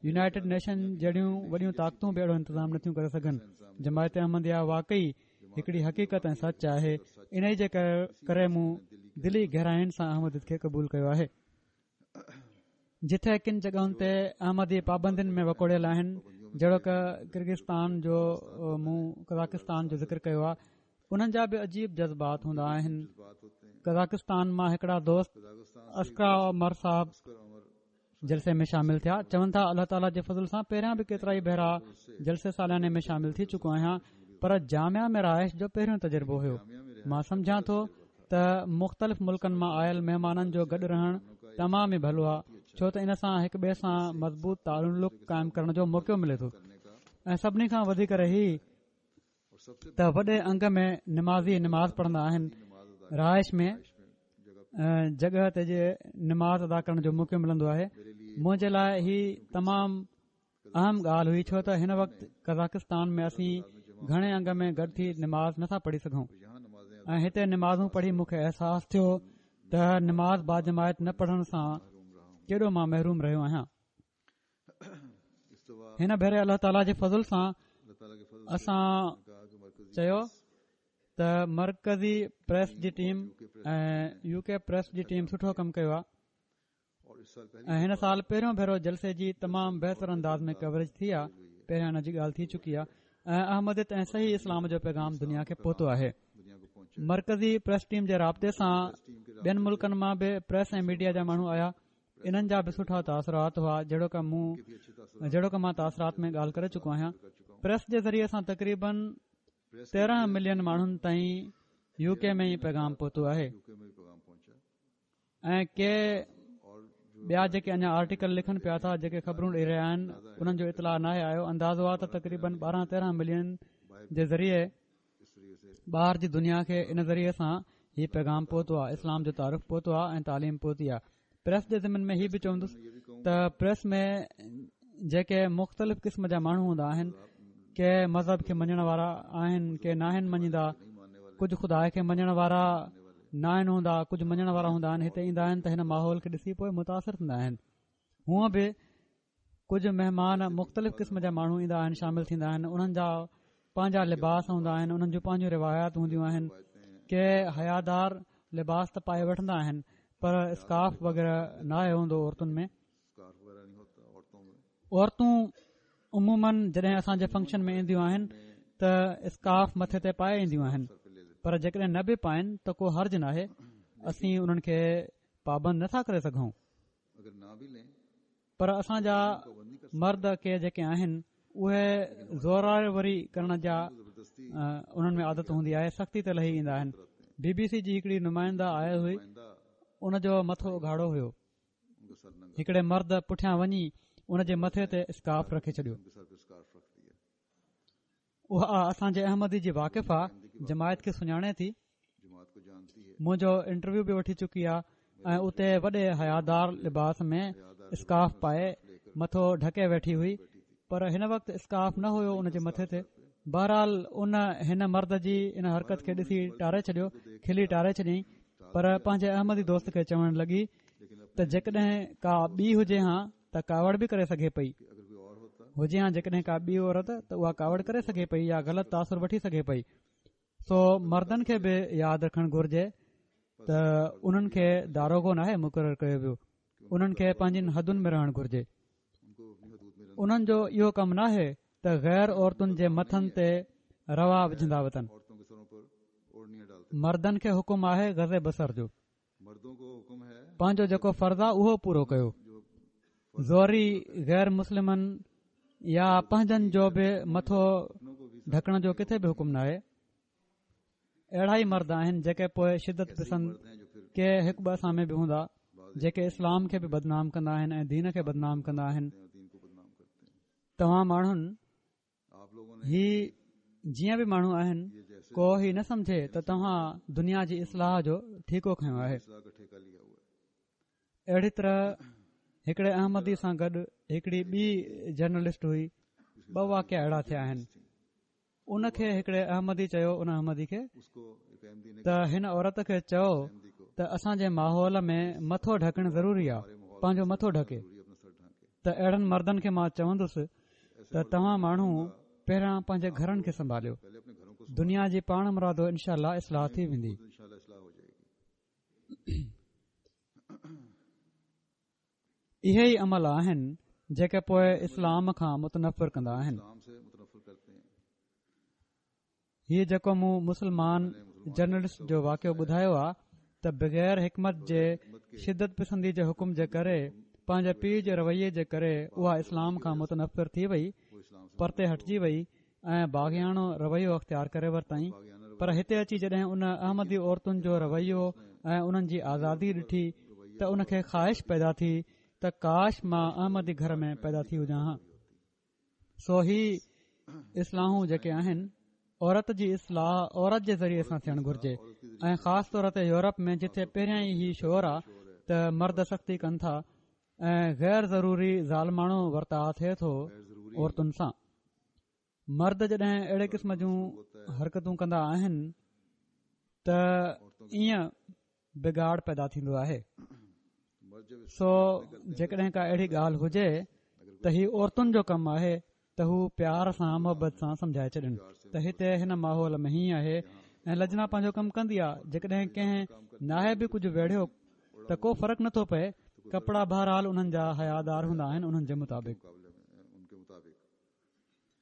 يونائيٽيڊ نيشن جهڙيون وڏيون طاقتون به اهڙو انتظام نٿيون ڪري سگهن. جماعت احمديه واقعي هڪڙي حقيقت ۽ سچ آهي. ان جي ڪري مون دلي گهراين سان احمديت کي قبول ڪيو آهي. جتي ڪن جڳهن تي احمدي پابندين ۾ وڪوڙيل آهن، جهڙوڪ ڪرغستان جو مون قزاقستان جو ذڪر ڪيو آهي، انهن جا به عجيب جذبات هوندا آهن. قزاقستان مان هڪڙا دوست اسڪرا عمر صاحب جلسي ۾ شامل ٿيا. چون ٿا الله تعاليٰ جي فضل سان پهريان به ڪيترا ئي ڀيرا جلسي سالياني ۾ شامل ٿي چڪو آهيان، پر جامعه ۾ رهائش جو پهريون تجربو هيو. مان سمجهان ٿو ته مختلف ملڪن مان آيل مهمانن جو گڏ رهڻ تمام ئي ڀلو آهي، ڇو ته ان سان هڪ ٻئي سان مضبوط تعلق قائم ڪرڻ جو موقعو ملي ٿو. ۽ سڀني کان وڌيڪ هي ته وڏي انگ ۾ نمازي نماز پڙهندا آهن. رهائش ۾ جڳهه تي جي نماز ادا ڪرڻ جو موقعو ملندو آهي. منهنجي لاءِ هي تمام اهم ڳالهه هئي، ڇو ته هن وقت قزاقستان ۾ اسين گهڻي انگ ۾ گڏ ٿي نماز نٿا پڙهي سگهون ۽ هتي نمازون پڙهي مون کي احساس ٿيو ته نماز باجماعت نه پڙهڻ سان ڪيڏو مان محروم رهيو آهيان. هن ڀيري الله تعاليٰ جي فضل سان اسان چيو ته مرڪزي پريس جي ٽيم ۽ يو ڪي پريس جي ٽيم سٺو ڪم ڪيو آهي ۽ هن سال پهريون ڀيرو جلسي جي تمام بهتر انداز ۾ ڪوريج ٿي آهي. پهريان ان جي ڳالهه ٿي چڪي آهي ۽ احمديت ۽ صحيح اسلام جو پيغام دنيا کي پهتو آهي. مرڪزي پريس ٽيم جي رابطي سان ٻين ملڪن مان به پريس ۽ ميڊيا جا ماڻهو آيا. انهن جا به سٺا تاثرات هئا، جهڙوڪ مون جهڙوڪ مان تاثرات ۾ ڳالهه ڪري چڪو آهيان. پريس جي ذريعي سان تقريبن تيرهن ملين ماڻهن تائين يو ڪي ۾ ئي پيغام پهتو آهي ۽ ڪي ٻيا جيڪي اڃا آرٽيڪل لکن پيا ٿا، جيڪي خبرون ڏيئي رهيا آهن، انهن جو اطلاع ناهي آيو. اندازو آهي ته تقريبن ٻارهن تيرهن ملين جي ذريعي ٻاهر جي دنيا کي ان ذريعي سان هي پيغام پهتو آهي، اسلام جو تعارف پهتو آهي ۽ تعليم پهتي آهي. پريس جي ضمن ۾ هي به چوندس ته پريس ۾ جيڪي مختلف قسم جا ماڻهو هوندا آهن، ڪي مذهب کي مڃڻ وارا آهن، ڪي ناهن مڃيندا، ڪجهه خدا کي مڃڻ وارا ناهن هوندا، ڪجهه مڃڻ وارا هوندا آهن. هتي ايندا آهن ته هن ماحول کي ڏسي پوءِ متاثر ٿيندا آهن. هونءَ به ڪجهه مهمان مختلف قسم جا ماڻهو ايندا آهن، شامل ٿيندا آهن. انهن جا پنهنجا لباس هوندا آهن، انهن جون پنهنجون روايات هونديون آهن. ڪي حيادار لباس ته پائي وٺندا آهن پر اسڪارف وغيره ناهي هوندو عورتن ۾. عورتون عموماً جڏهن اسان جي فنڪشن ۾ اينديون آهن ته اسڪارف مٿي تي پائي اينديون آهن، پر جيڪڏهن نه به پائن ته ڪو حرج ناهي، اسين انهن کي پابند نٿا ڪري سگهون. پر اسان جا مرد ڪي جيڪي آهن اهي زوراوري ڪرڻ جا انهن ۾ عادت هوندي آهي، سختي تي لهي ايندا آهن. بي بي سي جي هڪڙي نمائنده آئي هئي، ان جو مٿو اگهاڙو هيو. هڪڙي مرد پٺيان وڃي ان جي مٿي تي اسڪارف رکي ڇڏيو. اها اسان جي احمدي جي واقف آ، جماعت کي سڃاڻي ٿي، منهنجو انٽرويو به وٺي چڪي آ ۽ اتي وڏي حيادار لباس ۾ اسڪارف پائي مٿو ڍڪي ويٺي هئي، پر هن وقت اسڪارف نه هيو ان جي مٿي تي. بهرحال ان هن مرد جي ان حرڪت کي ڏسي ٽاري ڇڏيو، کلي ٽاري ڇڏيائين، پر پنهنجي احمدي دوست کي چوڻ لڳي ته جيڪڏهن ڪا ٻي هجي ها ته ڪاوڙ به ڪري سگهي پئي، هجي ها جيڪڏهن ڪا ٻي عورت ته اها ڪاوڙ ڪري سگهي پئي يا غلط تاثر وٺي سگهي پئي. سو مردن کي به ياد رکڻ گهرجي ته انهن کي داروغو ناهي مقرر ڪيو ويو، انهن کي پنهنجين حدن ۾ رهڻ گهرجي. انهن جو اهو ڪم ناهي ته غير عورتن جي مٿن تي روا وجهندا وتن. مردن کي حڪم آهي غض بصر جو، پنهنجو جيڪو فرض آهي اهو پورو ڪيو. زوري غير مسلمن يا پنهنجن جو به مٿو ڍڪڻ جو ڪٿي به حڪم ناهي. اهڙا ئي مرد آهن جيڪي پوءِ شدت پسند ڪي هڪ ٻه اسان ۾ به هوندا جيڪي اسلام کي به بدنام ڪندا آهن ۽ دين کي بدنام ڪندا آهن. توهان ماڻهن هي جيئن به ماڻهو آهن، ڪو هي نه سمجهي ته توهان دنيا جي اصلاح جو ٺيڪو کنيو آهي. اهڙي طرح هڪڙي احمدي سان گڏ هڪڙي ٻي جرنلسٽ هئي. ٻه واقعا اهڙا ٿيا آهن. ان کي هڪڙي احمدي چيو ان احمدي کي ته هن عورت کي چئو ته اسان جي ماحول ۾ مٿو ڍڪڻ ضروري آهي، پنهنجو مٿو ڍڪي. ته اهڙن مردن کي مان چوندس ته توهان ماڻهو پهريان پنهنجي گهرن کي سنڀاليو، دنيا جي پاڻ مرادو انشاء الله اصلاح ٿي ويندي. اهي ئي عمل آهن جيڪي پوءِ اسلام کان متنفر ڪندا آهن. هيءَ جيڪو مون مسلمان جرنلسٽ جو واقعو ٻڌايو آهي ته بغير حڪمت جي شدت پسندي جي حڪم جي ڪري پنهنجي پيءُ جي رويي جي ڪري اها اسلام کان متنفر ٿي وئي، پرتي هٽجي وئي ۽ باغياڻو رويو اختيار ڪري ورتائين. پر هتي اچي جڏهن ان احمدي عورتن جو رويو ۽ انهن جي آزادي ڏٺي ته ان کي خواهش پيدا ٿي ته ڪاش مان احمدي گهر ۾ پيدا ٿي هجان ها. سو هي اصلاحون جيڪي آهن، عورت جي اصلاح عورت جي ذريعي سان ٿيڻ گهرجي ۽ خاص طور تي يورپ ۾ جتي پهريان ئي هي شور آهي ته مرد سختي ڪن ٿا ۽ غير ضروري ظالماڻو ورتاءُ ٿئي ٿو عورتن سان. مرد جڏهن اهڙي قسم جون حرڪتون ڪندا آهن ته ائين بگاڙ پيدا ٿيندو آهي. سو جيڪڏهن ڪا اهڙي ڳالهه هجي ته هي عورتن جو ڪم آهي ته هو پيار سان محبت سان سمجهائي ڇڏن ته هتي هن ماحول ۾ هيئن آهي ۽ لجنا پنهنجو ڪم ڪندي آهي. جيڪڏهن ڪنهن ناهي به ڪجهه ويڙهيو ته ڪو فرق نٿو پئي، ڪپڙا بهرحال انهن جا حيادار هوندا آهن انهن جي مطابق.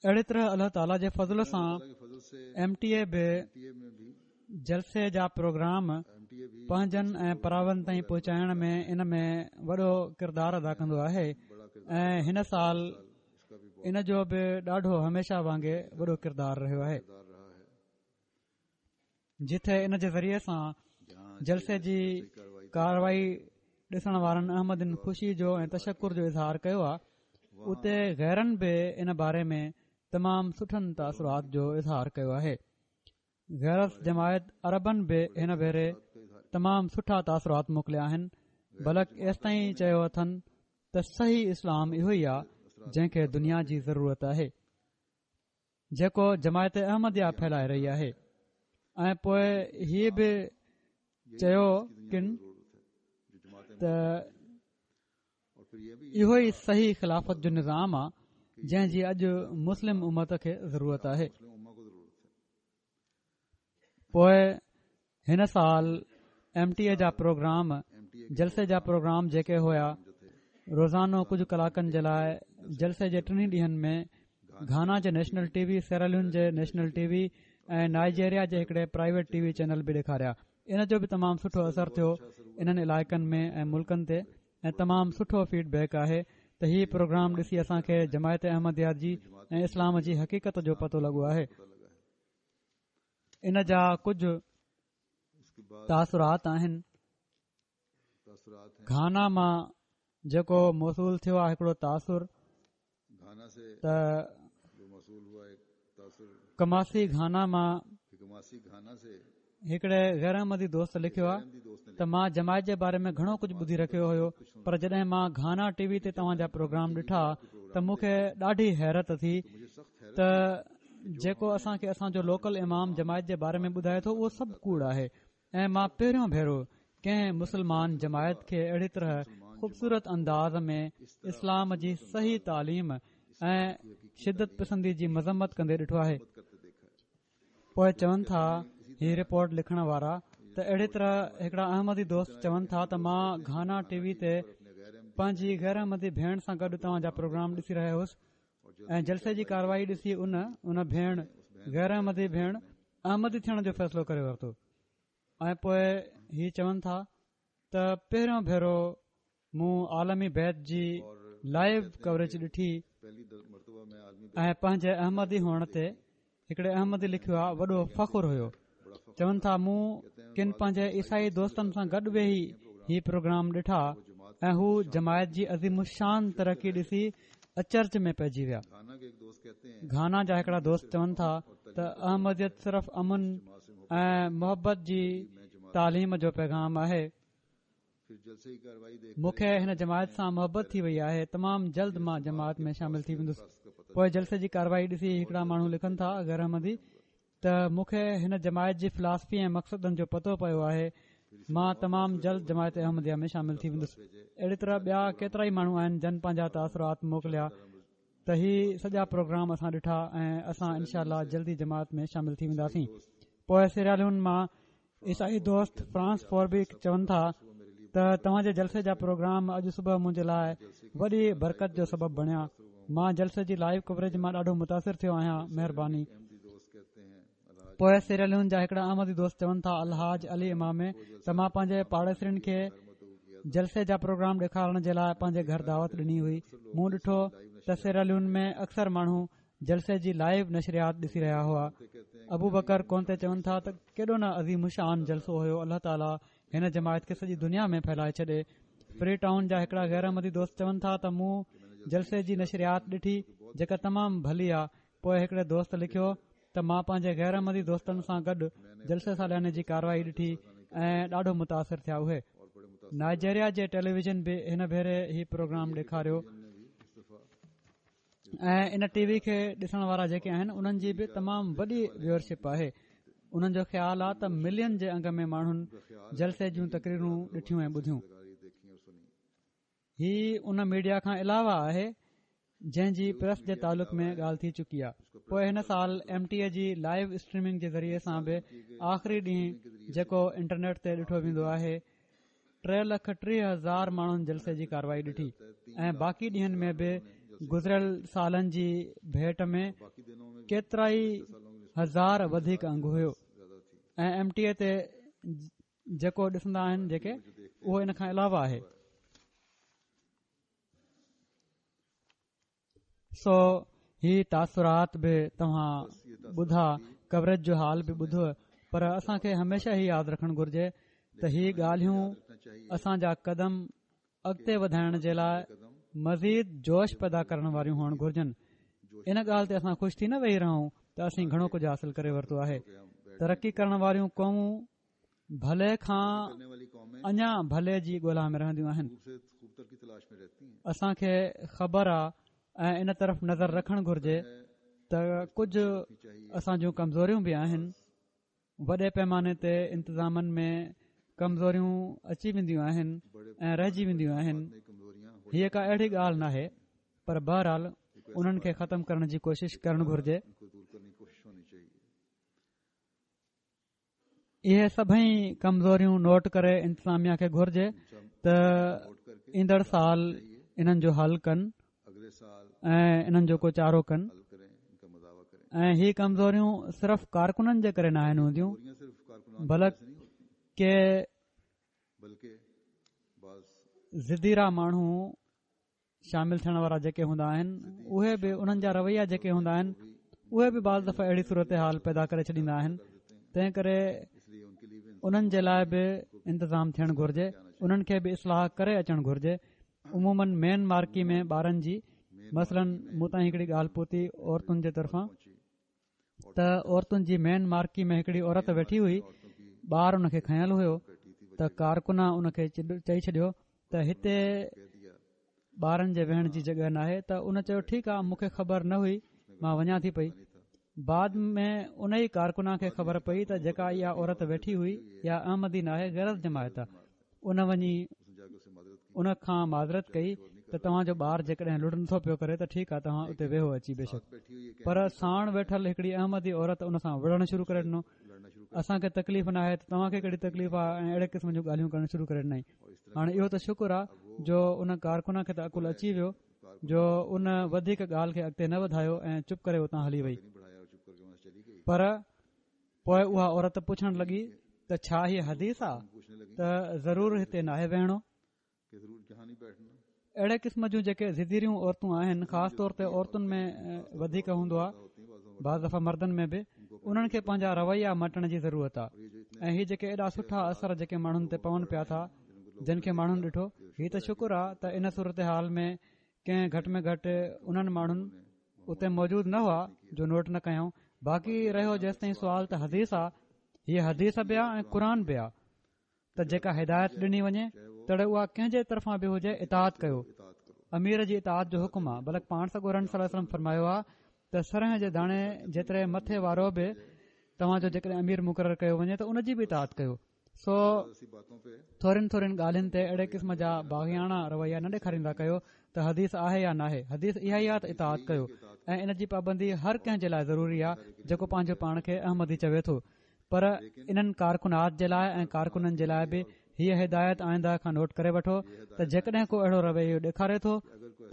اهڙي طرح الله تعاليٰ جي فضل سان ايم ٽي اي به جلسي جا پروگرام پنهنجن ۽ پراون تائين پهچائڻ ۾ ان ۾ وڏو ڪردار ادا ڪندو آهي ۽ هن سال ان جو به ڏاڍو هميشه وانگي وڏو ڪردار رهيو آهي، جتي ان جي ذريعي سان جلسي جي ڪارروائي ڏسڻ وارن احمدين خوشي جو ۽ تشڪر جو اظهار ڪيو آهي، اتي غيرن به ان باري ۾ تمام سٺن تاثرات جو اظهار ڪيو آهي. غير از جماعت عربن به هن ڀيري تمام سٺا تاثرات موڪليا آهن، بلڪ ايستائين چيو اٿن ته صحيح اسلام اهو ئي آهي جنهن کي دنيا جي ضرورت آهي، جيڪو جماعت احمديه ڦهلائي رهي آهي. ۽ پوءِ هيءَ به چيو ڪن ته اهو ئي صحيح خلافت جو نظام آهي جنهن جي اڄ مسلم امت کي ضرورت آهي. پوءِ هن سال ايم ٽي اي جا پروگرام، جلسي جا پروگرام جيڪي هئا، روزانو ڪجهه ڪلاڪن جي لاءِ جلسي جي ٽنهي ڏينهن ۾ گهانا جي نيشنل ٽي وي، سيراليون جي نيشنل ٽي وي ۽ نائجيريا جي هڪڙي پرائيويٽ ٽي وي چينل به ڏيکاريا. ان جو به تمام سٺو اثر ٿيو انهن علائقن ۾ ۽ ملڪن تي ۽ تمام سٺو فيڊ بيڪ آهي ته هي پروگرام ڏسي اسان کي جماعت احمديه جي ۽ اسلام جي حقيقت جو پتو لڳو آهي. ان جا ڪجهه تاثرات آهن. گهانا مان جيڪو موصول ٿيو آهي هڪڙو تاثر ته ڪماسي گهانا مان هڪڙي غير احمدي دوست لکيو آهي ته مان جماعت جي باري ۾ گهڻو ڪجهه ٻڌي رکيو هيو، پر جڏهن مان گهانا ٽي وي تي توهان جا پروگرام ڏٺا ته مون کي ڏاڍي حيرت ٿي ته جيڪو اسان کي اسان جو لوڪل امام جماعت جي باري ۾ ٻڌائي ٿو اهو سڀ ڪوڙ آهي. ۽ مان پهريون ڀيرو ڪنهن مسلمان جماعت کي اهڙي طرح خوبصورت انداز ۾ اسلام جي صحيح تعليم ۽ شدت پسندي جي مذمت ڪندي ڏٺو آهي. پوءِ چون ٿا هي رپورٽ لکڻ وارا ته اهڙي طرح هڪڙا احمدي دوست چون ٿا ته مان گهانا ٽي وي تي پنهنجي غير احمدي ڀيڻ سان گڏ توهان جا پروگرام ڏسي رهيو هوس ۽ جلسي جي ڪارروائي ڏسي ان ان ڀيڻ غير احمدي ڀيڻ احمدي ٿيڻ جو فيصلو ڪري ورتو. ۽ پوءِ هي چون ٿا ته پهريون ڀيرو مون عالمي بيعت جي لائيو ڪوريج ڏٺي ۽ پنهنجي احمدي هئڻ تي هڪڙي احمدي لکيو آهي وڏو فخر هيو. چون ٿا مون ڪن پنهنجي عيسائي دوستن سان گڏ ويهي هي پروگرام ڏٺا ۽ هو جماعت جي عظيم الشان ترقي ڏسي اچرج ۾ پئجي ويا. گهانا جا هڪڙا دوست چون ٿا ته احمديت صرف امن ۽ محبت جي تعليم جو پيغام آهي. مون کي هن جماعت سان محبت ٿي وئي آهي، تمام جلد مان جماعت ۾ شامل ٿي ويندس. پوءِ جلسي جي ڪارروائي ڏسي هڪڙا ماڻهو لکن ٿا غير احمدي ته مون کي هن جماعت جي فلاسفي ۽ مقصدن جو پتو پيو آهي، مان تمام جلد جماعت احمديه ۾ شامل ٿي ويندس. اهڙي طرح ٻيا ڪيترا ئي ماڻهو آهن جن پنهنجا تاثرات موڪليا ته هي سڄا پروگرام اسان ڏٺا ۽ اسان انشاء الله جلدي جماعت ۾ شامل ٿي وينداسين. پوءِ سيراليون مان عيسائي دوست فرانس فوربي چون ٿا ته توهان جي جلسي جا پروگرام اڄ صبح منهنجي لاءِ وڏي برڪت جو سبب بڻيا. مان جلسي جي لائيو ڪوريج مان ڏاڍو متاثر ٿيو آهيان، مهرباني. پوءِ سيراليون جا هڪڙا احمدي دوست چون ٿا الحاج علي امامي ته مان پنهنجي پاڙيسرين کي جلسي جا پروگرام ڏيکارڻ جي لاءِ پنهنجي گهر دعوت ڏني هئي. مون ڏٺو ته سيراليون ۾ اڪثر ماڻهو جلسي جي لائيو نشريات ڏسي رهيا هئا. ابو بڪر ڪونتي چون ٿا ته ڪيڏو نه عظيم شان جلسو هيو، الله تعاليٰ هن جماعت کي سڄي دنيا ۾ ڦهلائي ڇڏي. فري ٽائون جا هڪڙا غير احمدي دوست چون ٿا ته مون جلسي جي نشريات ڏٺي جيڪا تمام ڀلي آهي. پوءِ هڪڙي دوست لکيو ته مان پنهنجي غير احمدي دوستن سان گڏ جلسي سالياني جي ڪارروائي ڏٺي ۽ ڏاڍو متاثر ٿيا. اهي نائجيريا جي ٽيليويزن به هن ڀيري هي پروگرام ڏيکاريو ۽ ان ٽي وي کي ڏسڻ وارا جيڪي آهن انهن جي به تمام وڏي ويورشپ آهي. انهن جو خيال آهي ته ملين جي انگ ۾ ماڻهن جلسي جون تقريرون ڏٺيون ۽ ٻڌيون. هي ان ميڊيا کان علاوه آهي جنهن جي پريس جي تعلق ۾ ڳالهه ٿي چڪي آهي. پوءِ هن سال ايم ٽي اي جي لائيو اسٽريمنگ جي ذريعي سان به آخري ڏينهن جيڪو انٽرنيٽ تي ڏٺو ويندو آهي ٽي لک ٽيهه هزار ماڻهن جلسي جي ڪارروائي ڏٺي ۽ باقي ڏينهن ۾ به گذريل سالن جي ڀيٽ ۾ ڪيترا ئي هزار وڌيڪ انگ هيو. ۽ ايم ٽي اي تي جيڪو ڏسندا آهن جيڪي اهو ان کان علاوه آهي. سو هي تاثرات به توهان ٻڌا، ڪوريج جو حال به ٻڌو، پر اسان کي هميشه هي ياد رکڻ گهرجي ته هي ڳالهيون اسان جا قدم اڳتي وڌائڻ جي لاءِ مزيد جوش پيدا ڪرڻ واريون هئڻ گهرجن. ان ڳالهه تي اسان خوش ٿي نه ويهي رهون ته اسين گهڻو ڪجهه حاصل ڪري ورتو آهي. ترقي ڪرڻ واريون قومون ڀلي کان اڃا ڀلي جي ڳولا ۾ رهنديون آهن. اسان کي خبر آهي ۽ ان طرف نظر رکڻ گهرجي ته ڪجهه اسان جون ڪمزوريون به آهن. وڏي پيماني تي انتظامن ۾ ڪمزوريون اچي وينديون آهن ۽ رهجي وينديون آهن. هيءَ ڪا اهڙي ڳالهه ناهي، پر بهرحال انهن کي ختم ڪرڻ جي ڪوشش ڪرڻ گهرجي. اهي سڀئي ڪمزوريون نوٽ ڪري انتظاميا کي گهرجي ته ايندڙ سال انهن جو حل ڪن ۽ انهن جو ڪو چارو ڪن. ۽ هي ڪمزوريون صرف ڪارڪنن جي ڪري ناهن هونديون، بلڪ ڪي ضديرا ماڻهو شامل ٿيڻ وارا جيڪي هوندا آهن اهي به انهن جا رويا جيڪي هوندا آهن اهي به بعض دفعا اهڙي صورت حال پيدا ڪري ڇڏيندا آهن. تنهن ڪري انهن جي لاءِ به انتظام ٿيڻ گهرجي، انهن کي به اصلاح ڪري اچڻ گهرجي. عموماً مين مارڪي ۾ ٻارن جي مثلاً مون تائين هڪڙي ڳالهه پهتي عورتن جي طرفان ته عورتن جي مين مارڪي ۾ هڪڙي عورت ويٺي هئي، ٻار ان کي کنيل هيو ته ڪارڪنا ان کي چئي ڇڏيو ته هتي ٻارن جي ويهڻ جي جڳهه ناهي. ته ان چيو ٺيڪ آهي، مون کي خبر نه هئي، مان وڃان ٿي پئي. بعد ۾ ان ئي ڪارڪنا کي خبر پئي ته جيڪا اها عورت ويٺي هئي اها احمدي ناهي، غير جماعت آهي. ان وڃي ان کان معذرت ڪئي ته توهان جو ٻار جيڪڏهن لڙ نٿو پيو ڪري ته ٺيڪ آهي، توهان اتي ويهو اچي بيشڪ. پر ساڻ ويٺل هڪڙي احمدي عورت ان سان وڙهڻ شروع ڪري ڏنو. اسان کي تڪليف نه آهي ته توهان کي ڪهڙي تڪليف آهي، ۽ اهڙي قسم جون ڳالهيون ڪرڻ شروع ڪري ڏنائين. هاڻي اهو ته شڪر آهي جو ان ڪارڪنا کي ته عقل اچي ويو جو ان وڌيڪ ڳالهه کي اڳتي نه وڌايو ۽ چپ ڪري اتان هلي وئي. پر پوءِ اها عورت پڇڻ لڳي ته ڇا هيءَ حديث آهي ته ضرور هتي ناهي ويهڻو؟ اهڙي قسم جون جيڪي ضديريون عورتون آهن، خاص طور تي عورتن ۾ وڌيڪ هوندو آهي، بعض دفعا مردن ۾ به، انهن کي پنهنجا رويا مٽڻ جي ضرورت آهي. ۽ هي جيڪي ايڏا سٺا اثر جيڪي ماڻهن تي پون پيا ٿا، جن کي ماڻهن ڏٺو، هي ته شڪر آهي ته ان صورت حال ۾ ڪنهن گهٽ ۾ گهٽ انهن ماڻهن اتي موجود نه هئا جو نوٽ نه ڪيائون. باقي رهيو جيستائين سوال ته حديث آهي، هيءَ حديث به آهي ۽ قرآن به آهي ته جيڪا هدايت ڏني وڃي تڙي اها ڪنهن جي طرفان به هجي اطاعت ڪيو. امير جي اطاعت جو حڪم آهي. بلڪ پاڻ سڳورن صلي الله عليه وسلم فرمايو آهي ته سرهه جي داڻي جيتري مٿي وارو به توهان جو جيڪڏهن امير مقرر ڪيو وڃي ته ان جي به اطاعت ڪيو. سو ٿورين ٿورين ڳالهين تي اهڙي قسم جا باغياڻا رويا نه ڏيکاريندا ڪيو ته حديث آهي يا ناهي. حديث اها ئي آهي ته اطاعت ڪيو، ۽ ان جي پابندي هر ڪنهن جي لاءِ ضروري آهي جيڪو پنهنجو پاڻ کي احمدي چوي ٿو. پر انهن ڪارڪنات جي لاءِ ۽ ڪارڪنن جي لاءِ به هيءَ هدايت آئنده کان نوٽ ڪري وٺو ته جيڪڏهن ڪو اهڙو رويو ڏيکاري ٿو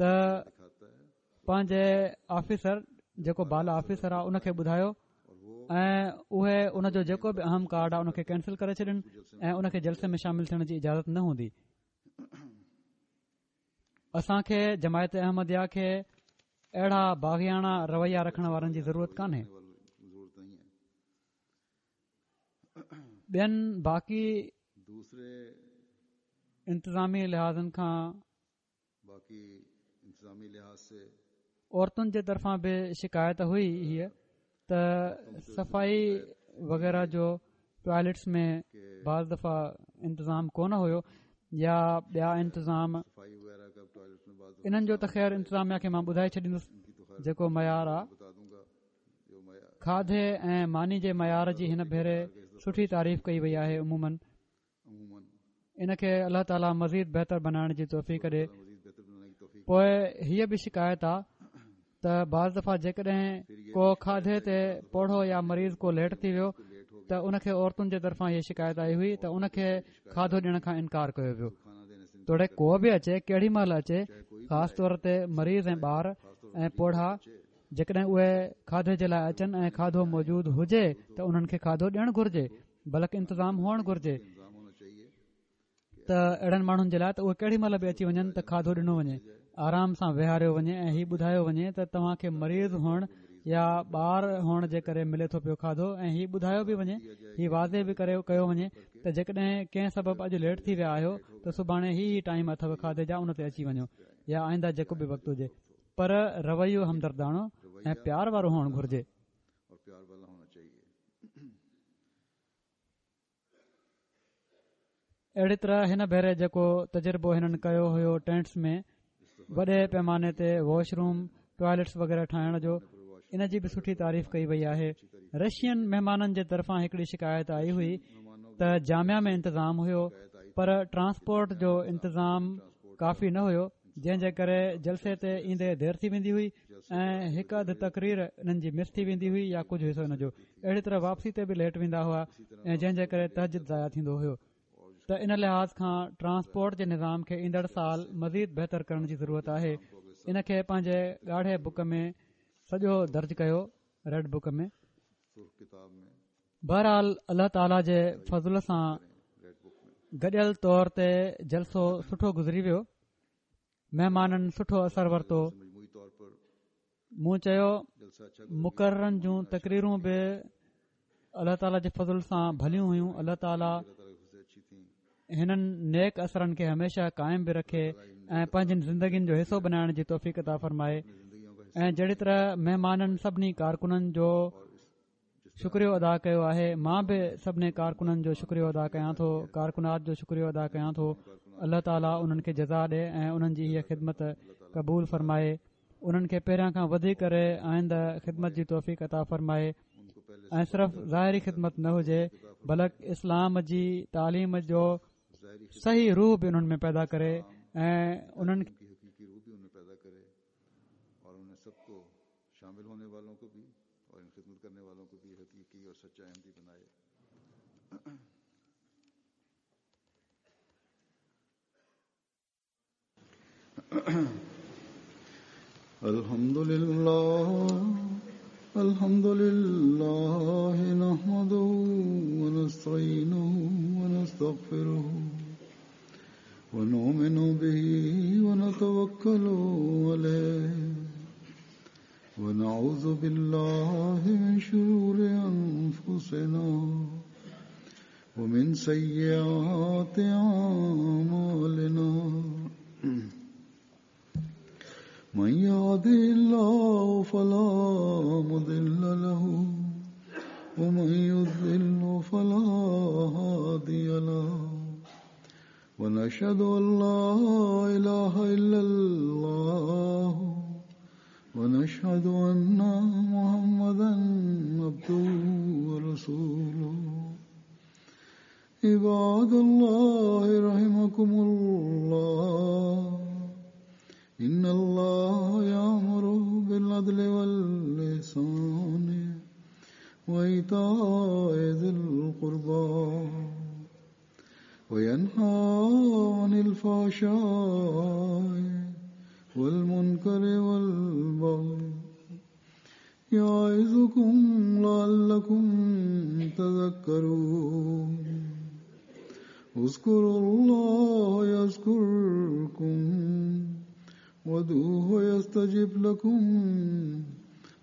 ته پنهنجي آفيسر جيڪو بالا آفيسر آهي ان کي ٻڌايو، ۽ اهي ان جو جيڪو به اهم ڪارڊ آهي ان کي ڪينسل ڪري ڇڏن ۽ ان کي جلسي ۾ شامل ٿيڻ جي اجازت نه هوندي. اسان کي جماعت احمديه کي اهڙا باغياڻا رويا رکڻ وارن جي ضرورت ڪانهي. ٻين باقي انتظامي لحاظن کان عورتن جي طرفان به شڪايت هئي هيءَ ته صفائي وغيره جو ٽوائليٽس ۾ بعض دفعا انتظام ڪونه هيو يا ٻيا انتظام. انهن جو ته خير انتظاميا کي مان ٻڌائي ڇڏيندس جيڪو معيار آهي. کاڌي ۽ ماني جي معيار جي هن ڀيري سٺي تعريف ڪئي وئي آهي. عموماً ان کي الله تعاليٰ مزيد بهتر بنائڻ جي توفيق ڏي. پوءِ هيءَ به شڪايت آهي ته بعض دفعا جيڪڏهن ڪو کاڌي تي پوڙهو يا مريض ڪو ليٽ ٿي ويو ته ان کي عورتن جي طرفان هيءَ شڪايت آئي هئي ته ان کي کاڌو ڏيڻ کان انڪار ڪيو ويو. توڙي ڪو به اچي، ڪهڙي مهل اچي، خاص طور تي مريض ۽ ٻار ۽ پوڙها جيڪڏهن اهي کاڌي جي لاءِ اچن ۽ کاڌو موجود هجي ته انهن کي کاڌو ڏيڻ گهرجي، بلڪ انتظام هئڻ گهرجي ته اهڙن ماڻهن جي لاءِ ته اهي ڪهڙي مهل به اچي وڃن ته کاڌو ڏنو وڃي، آرام سان ويهاريو وڃي ۽ هي ٻڌايو وڃي ته توهان کي مريض هئڻ يا ٻار هئڻ جي ڪري ملي ٿو پيو کاڌو، ۽ هي ٻڌايو به وڃي، هي واضح به ڪري ڪيو وڃي ته جيڪڏهن ڪنهن سبب اڄ ليٽ ٿي ويا آهيو ته سڀاڻي هي هي ٽائيم اٿو کاڌي جا، ان تي اچي وڃو يا آئنده جيڪو به وقت هجي. پر رويو همدرداڻو ۽ پيار وارو هئڻ گهرجي. اهڙي طرح هن ڀيري جيڪو تجربو هنن ڪيو هيو ٽينٽس ۾ وڏي پيماني تي واش روم، ٽوائلٽس وغيره ٺاهڻ جو، ان جي به سٺي تعريف ڪئي وئي آهي. رشين مهمانن جي طرفان هڪڙي شڪايت آئي هئي ته جامعه ۾ انتظام هيو پر ٽرانسپورٽ جو انتظام ڪافي نه هيو، جنهن جي ڪري جلسي تي ايندي دير ٿي ويندي هئي ۽ هڪ اڌ تقرير انهن جي مس ٿي ويندي هئي يا ڪجهه حصو ان جو. اهڙي طرح واپسي تي به ليٽ ويندا هئا ۽ جنهن جي ڪري تهجد ضايع ٿيندو هيو. ته ان لحاظ کان ٽرانسپورٽ جي نظام کي ايندڙ سال مزيد بهتر ڪرڻ جي ضرورت آهي. ان کي پنهنجي ڳاڙهي بڪ ۾ سڄو درج ڪيو، ريڊ بڪ ۾. بهرحال الله تعاليٰ جي فضل سان گڏيل طور تي جلسو سٺو گذري ويو. مهمانن سٺو اثر ورتو. مون چيو مقررن جون تقريرون به الله تعاليٰ جي فضل سان ڀليون هيون. الله تعاليٰ هنن نيڪ اثرن کي هميشه قائم به رکي ۽ پنهنجين زندگين جو حصو بنائڻ جي توفيق عطا فرمائي. ۽ جهڙي طرح مهمانن سڀني ڪارڪنن جو شڪريو ادا ڪيو آهي، مان به سڀني ڪارڪنن جو شڪريو ادا ڪيان ٿو، ڪارڪنات جو شڪريو ادا ڪيان ٿو. الله تعاليٰ انهن کي جزا ڏي ۽ انهن جي هيء خدمت قبول فرمائي. انهن کي پهريان کان وڌي ڪري آئنده خدمت جي توفيق عطا فرمائي ۽ صرف ظاهري خدمت نه هجي بلڪ اسلام جي تعليم جو صحيح روح به انهن ۾ پيدا ڪري ۽ انهن شامل ہونے والوں کو بھی اور ان خدمت کرنے والوں کو بھی حقیقی اور سچا احمدی بنائے۔ الحمد للہ الحمد للہ نحمده ونستعینه ونستغفره ونؤمن به ونتوکل علیہ ونعوذ بالله من شرور أنفسنا ومن سيئات أعمالنا من يهده الله فلا مضل له ومن يضلل فلا هادي له ونشهد أن لا إله إلا الله ونشهد أن محمدا عبده ورسوله. عباد الله رحمكم الله، إن الله يأمر بالعدل والإحسان وإيتاء ذي القربى وينهى عن الفحشاء والمنكر والبغي يعظكم لعلكم تذكرون. اذكروا الله يذكركم وادعوه يستجب لكم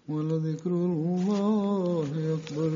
ولذكر الله أكبر.